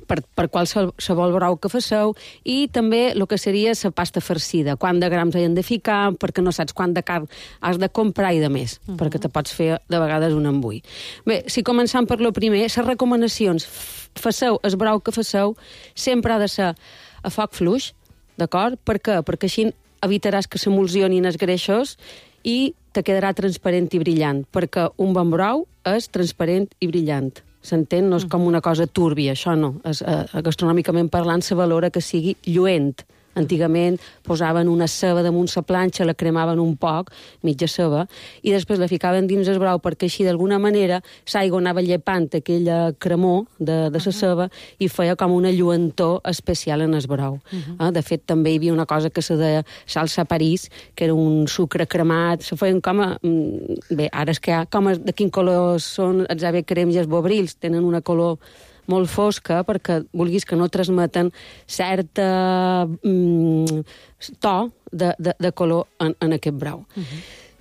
per qualsevol brou que faceu, i també el que seria la pasta farcida, quant de grams hi han de ficar, perquè no saps quant de carn has de comprar i de més, perquè te pots fer de vegades un embull. Bé, si començam per lo primer, les recomanacions, faceu el brou que faceu, sempre ha de ser a foc fluix, d'acord? Per què? Perquè així evitaràs que s'emulsionin els greixos i te quedarà transparent i brillant, perquè un bon brou és transparent i brillant. S'entén? No és com una cosa túrbia, això no. Gastronòmicament parlant, se valora que sigui lluent. Antigament posaven una ceba damunt la planxa, la cremaven un poc, mitja ceba, i després la ficaven dins el brou perquè així d'alguna manera l'aigua anava llepant aquella cremor de la ceba i feia com una lluentor especial en el brou. De fet, també hi havia una cosa que se deia salsa París, que era un sucre cremat, se feien com a... Bé, ara és que hi ha com de quin color són els ave crems i els bobrils, tenen una color molt fosca, perquè vulguis que no transmeten certa to de color en aquest brou.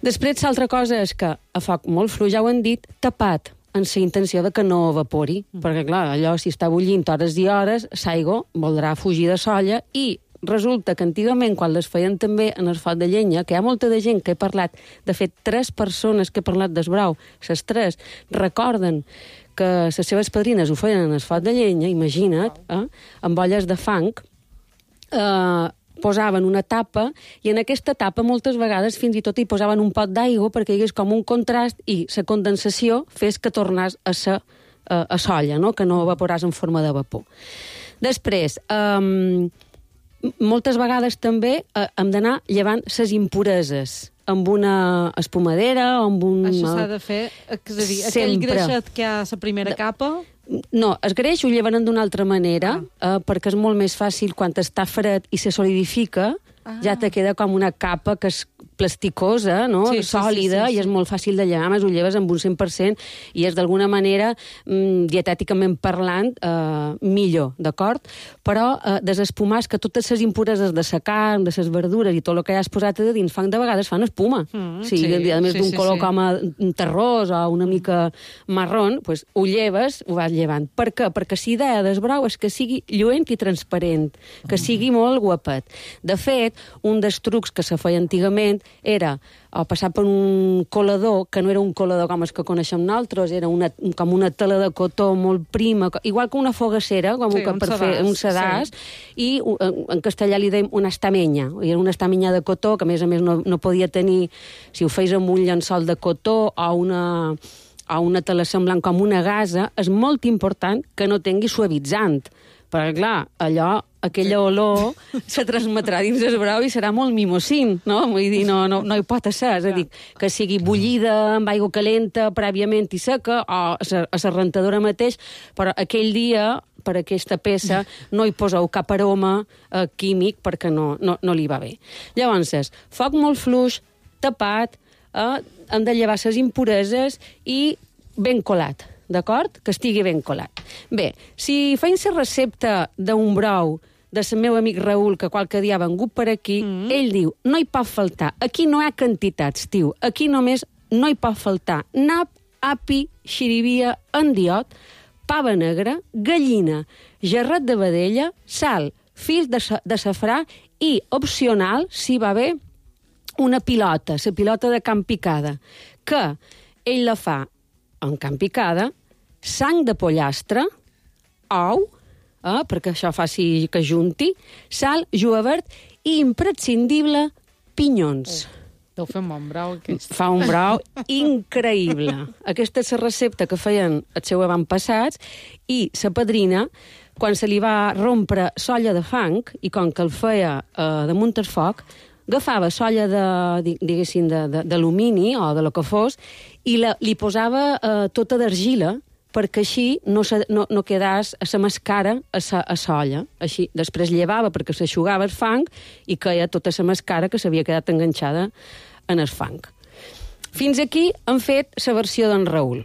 Després, l'altra cosa és que a foc molt fluix, ja ho han dit, tapat, amb la intenció de que no evapori, perquè, clar, allò, si està bullint hores i hores, l'aigua voldrà fugir de solla, i resulta que antigament, quan les feien també en el foc de llenya, que hi ha molta de gent que he parlat, de fet, 3 persones que he parlat del brou, les 3, recorden que les seves padrines ho feien en el foc de llenya, imagina't, amb olles de fang, posaven una tapa, i en aquesta tapa moltes vegades fins i tot hi posaven un pot d'aigua perquè hi hagués com un contrast i la condensació fes que tornés a ser a solla, no? Que no evaporàs en forma de vapor. Després, moltes vegades també hem d'anar llevant les impureses amb una espumadera o amb un... Això s'ha de fer, és a dir, aquell greixet que hi ha a la primera capa... No, el greix ho llevaran d'una altra manera, perquè és molt més fàcil quan està fred i se solidifica, ja te queda com una capa que és plasticosa, no? Sòlida, i és molt fàcil de llevar, més ho lleves amb un 100%, i és d'alguna manera, dietèticament parlant, millor, d'acord? Però desespumar és que totes les impureses de la carn, de les verdures i tot el que has posat a dins fang de vegades fan espuma. A més d'un color com a terrós o una mica marrón, ho lleves, ho vas llevant. Per què? Perquè la idea del brou és que sigui lluent i transparent, que sigui molt guapet. De fet, un dels trucs que se feia antigament era passar per un colador, que no era un colador com els que coneixem nosaltres, era com una tela de cotó molt prima, igual que una fogassera, com per fer un sedàs, i en castellà li dèiem una estamenya. Era una estamenya de cotó, que a més no podia tenir, si ho feis amb un llençol de cotó o una tela semblant com una gasa, és molt important que no tingui suavitzant, perquè, clar, aquella olor se transmetrà dins el brou i serà molt mimosín, no? Vull dir, no hi pot ser, és a dir, que sigui bullida amb aigua calenta prèviament i seca, o a la rentadora mateix, però aquell dia, per aquesta peça, no hi poseu cap aroma químic perquè no li va bé. Llavors, foc molt fluix, tapat, hem de llevar les impureses i ben colat, d'acord? Que estigui ben colat. Bé, si feim la recepta d'un brou del meu amic Raül, que qualque dia ha vengut per aquí, ell diu, no hi pot faltar, aquí no hi ha quantitats, tio, aquí només no hi pot faltar nap, api, xirivia, endiot, pava negra, gallina, gerret de vedella, sal, fils de safrà i, opcional, si va bé, una pilota, la pilota de Can Picada, que ell la fa en Can Picada, sang de pollastre, ou, perquè això faci que junti, sal, julivert i, imprescindible, pinyons. Deu fer un bon brou, aquest. Fa un brou increïble. Aquesta és la recepta que feien els seus avantpassats, i la padrina, quan se li va rompre solla de fang, i com que el feia damunt el foc, agafava solla d'alumini o de lo que fos i li posava tota d'argila perquè així no quedàs a la mascara a solla. Així, després llevava perquè s'aixugava el fang i queia tota la mascara que s'havia quedat enganxada en el fang. Fins aquí hem fet la versió d'en Raül.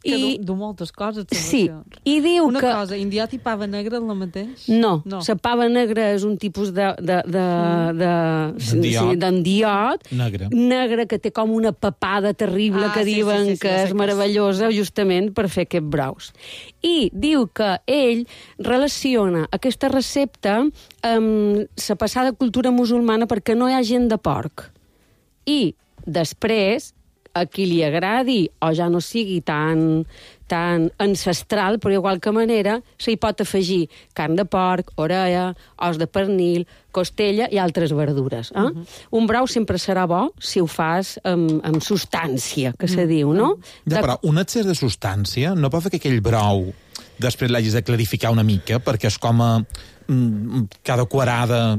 Que du moltes coses. Sí, i diu una que... Una cosa, indiot i pava negra és la mateix? No, la pava negra és un tipus d'endiot negre que té com una papada terrible que diuen que és meravellosa justament per fer aquests braus. I diu que ell relaciona aquesta recepta amb la passada cultura musulmana perquè no hi ha gent de porc. I després, a qui li agradi o ja no sigui tan ancestral, però igual que manera, s'hi pot afegir carn de porc, orella, os de pernil, costella i altres verdures. Un brau sempre serà bo si ho fas amb substància, que se diu, no? Ja, però un excés de substància no pot fer que aquell brau després l'hagis de clarificar una mica, perquè és com cada quarada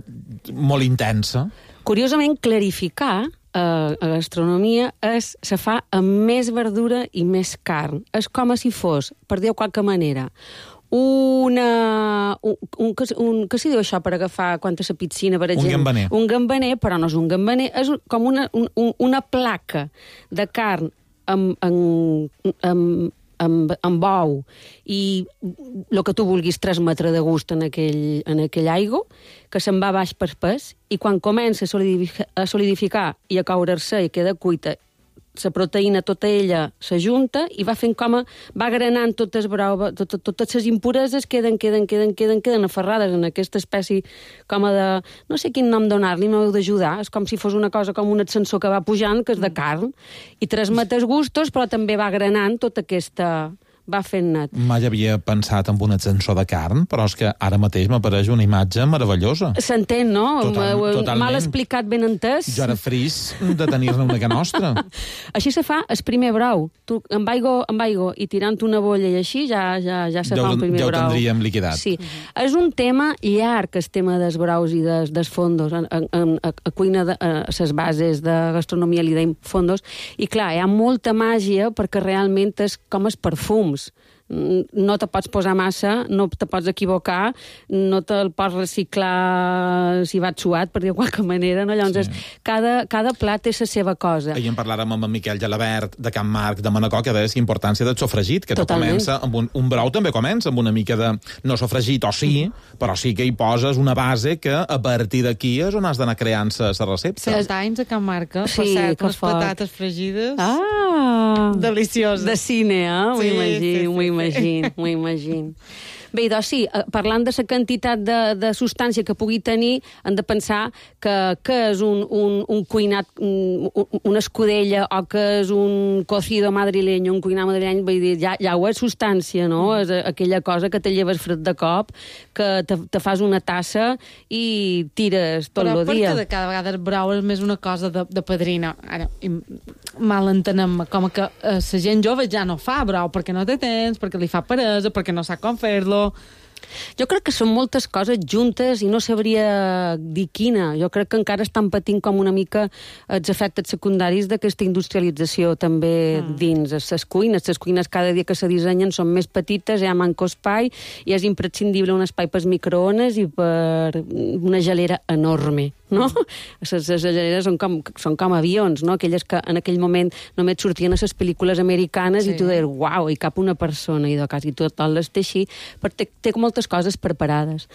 molt intensa. Curiosament, clarificar a gastronomia se fa amb més verdura i més carn. És com si fos, per dir-ho de qualque manera, que s'hi diu això per agafar quan a la piscina, per exemple? Un gambaner. Un gambaner, però no és un gambaner, és com una placa de carn amb ou i el que tu vulguis transmetre de gust en aquell aigua, que se'n va baix per pes, i quan comença a solidificar i a coure-se i queda cuita, la proteïna tota ella s'ajunta i va fent com va granant totes les impureses, queden aferrades en aquesta espècie com de... no sé quin nom donar-li, m'heu d'ajudar, és com si fos una cosa com un ascensor que va pujant, que és de carn, i transmet els gustos, però també va granant tota aquesta... va fent net. Mai havia pensat en un ascensor de carn, però és que ara mateix m'apareix una imatge meravellosa. S'entén, no? Totalment. Mal explicat, ben entès. Jo era fris de tenir-ne una que nostra. Així se fa el primer brou. Tu, amb aigua i tirant una bolla i així, ja se fa el primer brou. Ja ho tindríem liquidat. Sí. És un tema llarg, el tema dels braus i dels fondos. A cuina, a les bases de gastronomia li deim fondos. I clar, hi ha molta màgia perquè realment és com els perfums. No te pots posar massa, no te pots equivocar, no te'l pots reciclar si va suat, per dir de qualque manera, no? Llavors, cada plat té la seva cosa. Ahir en parlàvem amb en Miquel Gelabert, de Can Marc, de Manacor, que deia la importància del sofregit, que tot comença amb un brou també comença amb una mica de no sofregit, o sí, però sí que hi poses una base que a partir d'aquí és on has d'anar creant la recepta. 7 anys a Can Marca, per cert, unes patates fregides. Delicioses. De cine, M'ho imagino. Bé, doncs sí, parlant de la quantitat de substància que pugui tenir, hem de pensar que és un cuinat, una escudella, o que és un cocido madrileño, un cuinat madrileny, vull dir, ja ho és substància, no? És aquella cosa que te lleves fred de cop, que te fas una tassa i tires tot el dia. Però perquè cada vegada el brou és més una cosa de padrina. Ara, mal entenem, com que la gent jove ja no fa brou, perquè no té temps, perquè li fa peresa, perquè no sap com fer-lo. Jo crec que són moltes coses juntes i no sabria dir quina. Jo crec que encara estan patint com una mica els efectes secundaris d'aquesta industrialització també dins les cuines. Les cuines cada dia que se dissenyen són més petites, hi ha manco espai i és imprescindible un espai per microones i per una gelera enorme, no? Les geleres són com avions, no? Aquelles que en aquell moment només sortien a les pel·lícules americanes i tu deies, uau, hi cap una persona, i de quasi tot les té així, perquè té moltes coses preparades.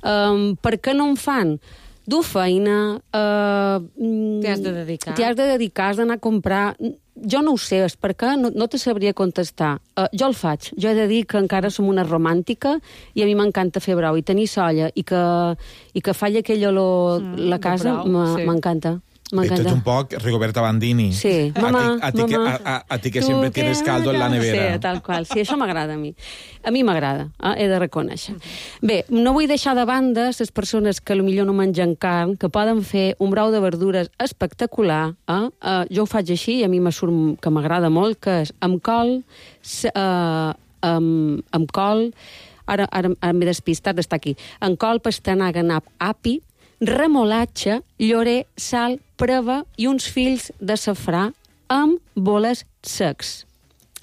Per què no en fan? Dur feina... T'hi has de dedicar. T'hi has de dedicar, has d'anar a comprar... Jo no ho sé, és per què no te sabria contestar. Jo el faig. Jo he de dir que encara som una romàntica i a mi m'encanta fer brou. I tenir solla i que falli aquell olor la casa m'encanta. Ets un poc Rigoberta Bandini. Sí, mamà, a ti que sempre tienes caldo en la nevera. Sí, tal qual. Sí, això m'agrada a mi. A mi m'agrada, he de reconèixer. Bé, no vull deixar de banda les persones que potser no mengen carn, que poden fer un brou de verdures espectacular. Jo ho faig així i a mi me surt que m'agrada molt, que és amb col, ara m'he despistat d'estar aquí, amb col, pastanaga, nap, api, remolatge, llorer, sal, preva i uns fills de safrà amb boles secs.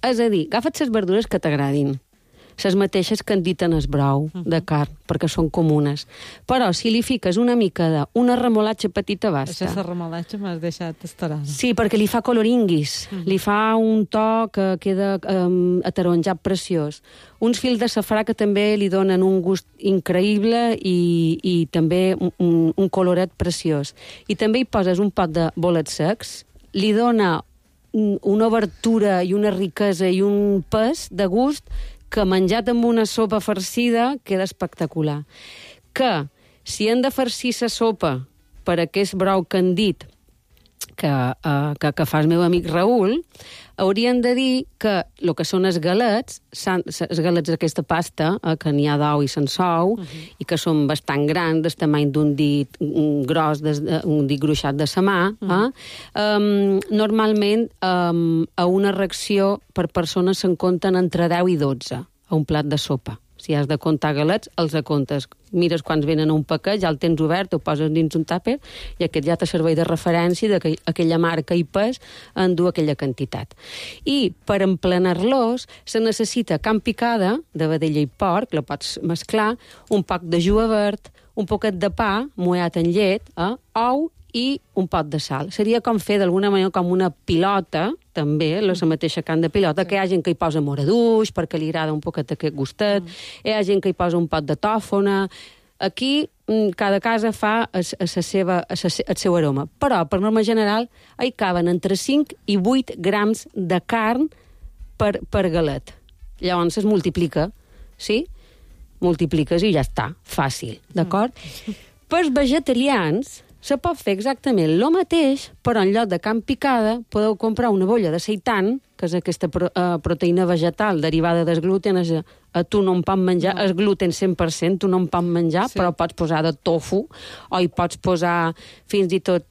És a dir, agafa't les verdures que t'agradin. les mateixes que han dit en el brou de carn, perquè són comunes. Però si li fiques una mica d'una remolatxa petita basta. Això, la remolatxa m'has deixat estarant. Sí, perquè li fa coloringuis, li fa un to que queda ataronjat preciós. Uns fils de safrà que també li donen un gust increïble i també un coloret preciós. I també hi poses un pot de bolets secs, li dona una obertura i una riquesa i un pes de gust que menjat amb una sopa farcida queda espectacular. Que si hem de farcir la sopa per aquest brou que han dit que fa el meu amic Raül, haurien de dir que el que són els galets d'aquesta pasta, que n'hi ha d'ou i sense ou, i que són bastant grans, del tamany d'un dit gros, un dit gruixat de sa mà, normalment a una ració per persona se'n compten entre 10 i 12 a un plat de sopa. Si has de comptar galets, els comptes. Mires quants venen a un paquet, ja el tens obert, ho poses dins un tàper, i aquest ja te serveix de referència d'aquella marca i pes endú aquella quantitat. I per emplenar-los se necessita carn picada de vedella i porc, la pots mesclar, un poc de juga verd, un poquet de pa mullat en llet, ou i un pot de sal. Seria com fer d'alguna manera com una pilota, també, la mateixa carn de pilota, que hi ha gent que hi posa moraduix perquè li agrada un poquet aquest gustet, hi ha gent que hi posa un pot de tòfona. Aquí cada casa fa el seu aroma. Però, per norma general, hi caben entre 5 i 8 grams de carn per galet. Llavors es multiplica, sí? Multipliques i ja està, fàcil, d'acord? Pels vegetarians se pot fer exactament el mateix, però en lloc de carn picada podeu comprar una bolla de seitan, que és aquesta proteïna vegetal derivada del gluten. Tu no en pots menjar, el gluten 100%, tu no en pots menjar, però pots posar de tofu, o hi pots posar fins i tot,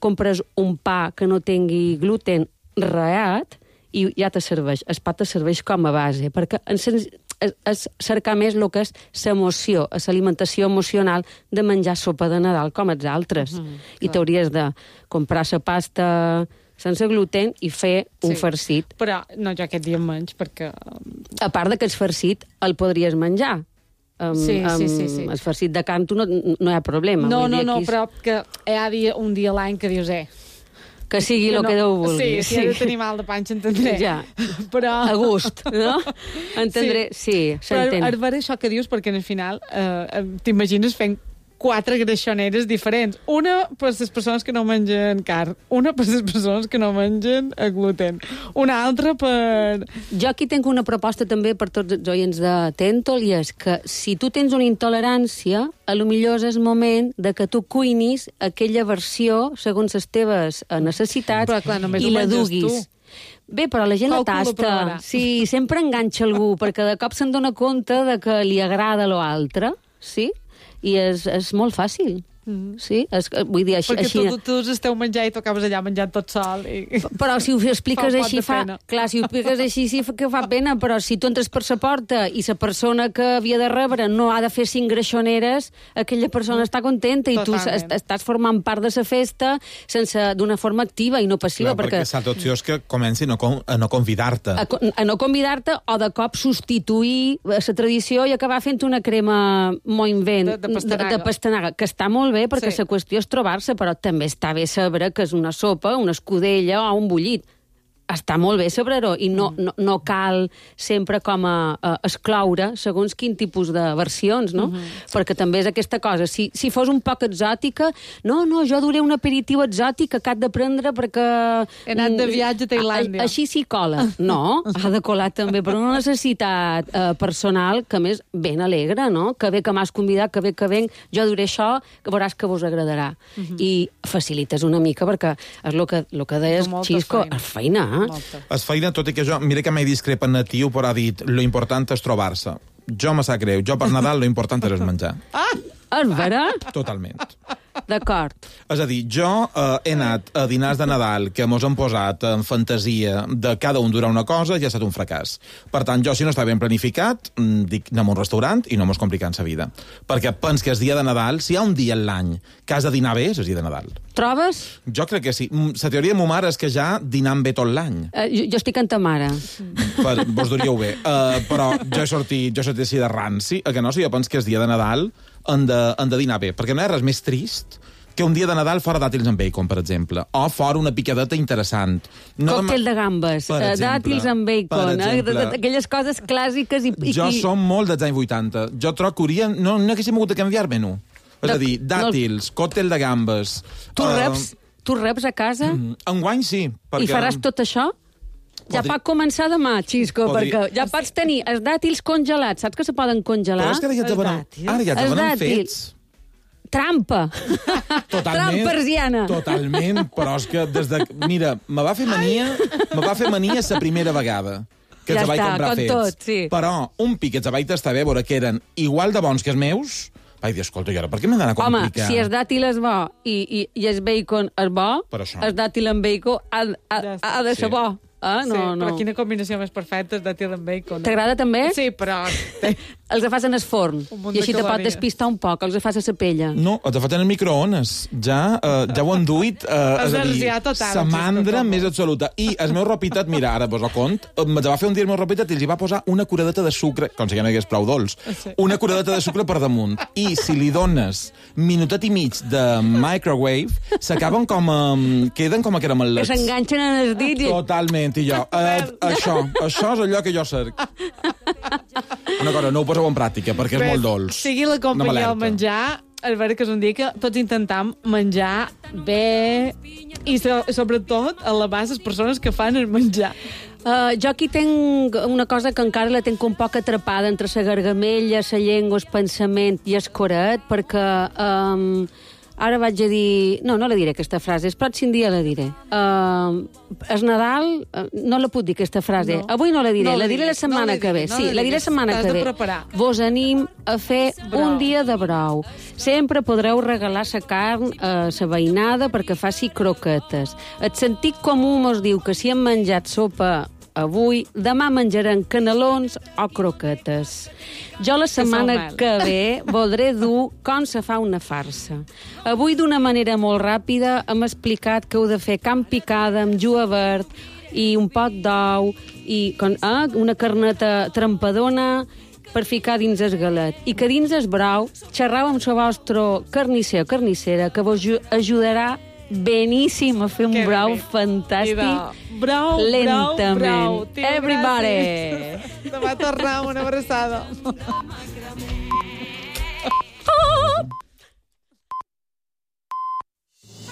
compres un pa que no tingui gluten raat, i ja te serveix. El pa te serveix com a base, perquè és cercar més el que és l'emoció, l'alimentació emocional de menjar sopa de Nadal com els altres. I t'hauries de comprar la pasta sense gluten i fer un farcit. Però no, jo aquest dia menys, perquè... A part de que el farcit el podries menjar. Sí. El farcit de carn no hi ha problema. No, però que hi ha un dia a l'any que dius, que sigui el que Déu vulgui. Sí, si he de tenir mal de panxa, entendré. Ja, però... a gust, no? Entendré, sí, s'entén. Però ara això que dius, perquè al final t'imagines fent 4 greixoneres diferents. Una per les persones que no mengen carn, una per les persones que no mengen gluten, una altra per... Jo aquí tinc una proposta també per tots els oients de Tentol, i és que si tu tens una intolerància, a lo millor és el moment de que tu cuinis aquella versió segons les teves necessitats, però, clar, i la duguis. Bé, però la gent la tasta. Sí, sempre enganxa algú, perquè de cop se'n dona compte de que li agrada l'altre, sí? I és molt fàcil. Sí? Vull dir, així... Perquè tots esteu menjant i tu acabes allà menjant tot sol. Però si ho expliques així fa... Clar, si ho expliques així sí que fa pena, però si tu entres per la porta i la persona que havia de rebre no ha de fer 5 greixoneres, aquella persona està contenta i tu estàs formant part de la festa d'una forma activa i no passiva. Clar, perquè l'altra opció és que comenci a no convidar-te. A no convidar-te o de cop substituir la tradició i acabar fent una crema molt invent de pastanaga, que està molt bé, perquè la qüestió és trobar-se, però també està bé saber que és una sopa, una escudella o un bullit. Està molt bé saber-ho, i no cal sempre com a excloure segons quin tipus de versions, no? Perquè també és aquesta cosa. Si fos un poc exòtica, no, jo duré un aperitiu exòtic que had de prendre perquè... He anat de viatge a Tailàndia. Així sí cola. No, ha de colar també per una necessitat personal que més ben alegre, no? Que bé que m'has convidat, que bé que venc, jo duré això, que veuràs que vos agradarà. I facilites una mica, perquè és el que deies, Xisco, és feina. Es feina, tot i que jo, mira que m'he discrepat natiu, però ha dit, lo important és trobar-se. Jo me sap greu, jo per Nadal lo important és menjar. És vera? Totalment. D'acord. És a dir, jo he anat a dinars de Nadal que mos han posat en fantasia de cada un durar una cosa i ha estat un fracàs. Per tant, jo, si no està ben planificat, dic, anem a un restaurant i no mos complican sa vida. Perquè pens que és dia de Nadal, si hi ha un dia en l'any que has de dinar bé, és el dia de Nadal. Trobes? Jo crec que sí. La teoria de ma mare és que ja dinam bé tot l'any. Jo estic amb ta mare. Vos duríeu bé. Però jo he sortit així de ranci, que no? Si jo penso que és dia de Nadal, han de dinar bé, perquè no hi ha res més trist que un dia de Nadal fora dàtils amb bacon, per exemple, o fora una picadeta interessant. Còctel de gambes, dàtils amb bacon, aquelles coses clàssiques. Jo som molt dels anys 80. Jo trobo que hauríem... No haguéssim hagut de canviar menú. És a dir, dàtils, còctel de gambes... Tu reps a casa? Enguany sí. I faràs tot això? Ja pot començar demà, Xisco, perquè ja pots tenir els dàtils congelats. Saps que se poden congelar? Però és que ara ja te venen fets. Trampa. Totalment. Trampersiana. Totalment, però és que des de... Mira, me va fer mania la primera vegada que els vaig comprar fets. Tot, sí. Però un pic que els vaig tastar bé, veure que eren igual de bons que els meus, vaig dir, escolta, i ara, per què m'he d'anar a complicar? Home, si el dàtil és bo i el bacon és bo, el dàtil amb bacon ha de ser bo. Però quina combinació més perfecta és dàtil amb bacon. T'agrada també? Sí, però... Els fas en el forn i així te pot despistar un poc, els fas a la pella. No, els fas en el microones. Ja ho han duit, és a dir, sa mandra més absoluta. I el meu ropitat, mira, ara vos ho cont, me'ls va fer un dia el meu ropitat i els hi va posar una curadeta de sucre, com si ja no hi hagués prou dolç, una curadeta de sucre per damunt. I si li dones minutet i mig de microwave, s'acaben queden com a caramelets. Que s'enganxen en els dits. Totalment, i jo. Això és allò que jo cerc. Una cosa, no ho poseu en pràctica, perquè és molt dolç. Sigui la companyia al menjar, és vera que és un dia que tots intentam menjar bé i sobretot alabar les persones que fan el menjar. Jo aquí tinc una cosa que encara la tinc un poc atrapada entre la gargamella, la llengua, el pensament i el coret, perquè ara vaig a dir... No la diré, aquesta frase. El pròxim dia la diré. És Nadal... No la puc dir, aquesta frase. Avui no la diré. La diré la setmana que ve. Sí, la diré la setmana que ve. Vos anim a fer un dia de brou. Sempre podreu regalar la carn a la veïnada perquè faci croquetes. El sentit comú mos diu que si hem menjat sopa avui, demà menjarem canelons o croquetes. Jo la setmana que ve voldré dur com se fa una farsa. Avui, d'una manera molt ràpida, hem explicat que heu de fer carn picada amb julivert i un pot d'ou i una carneta trampadona per ficar dins el galet. I que dins el brou xerrau amb el vostre carnisser o carnissera que vos ajudarà beníssim a fer un brou fantàstic. Brou, lentament. brou, brou. Everybody! Demà tornem, una abraçada.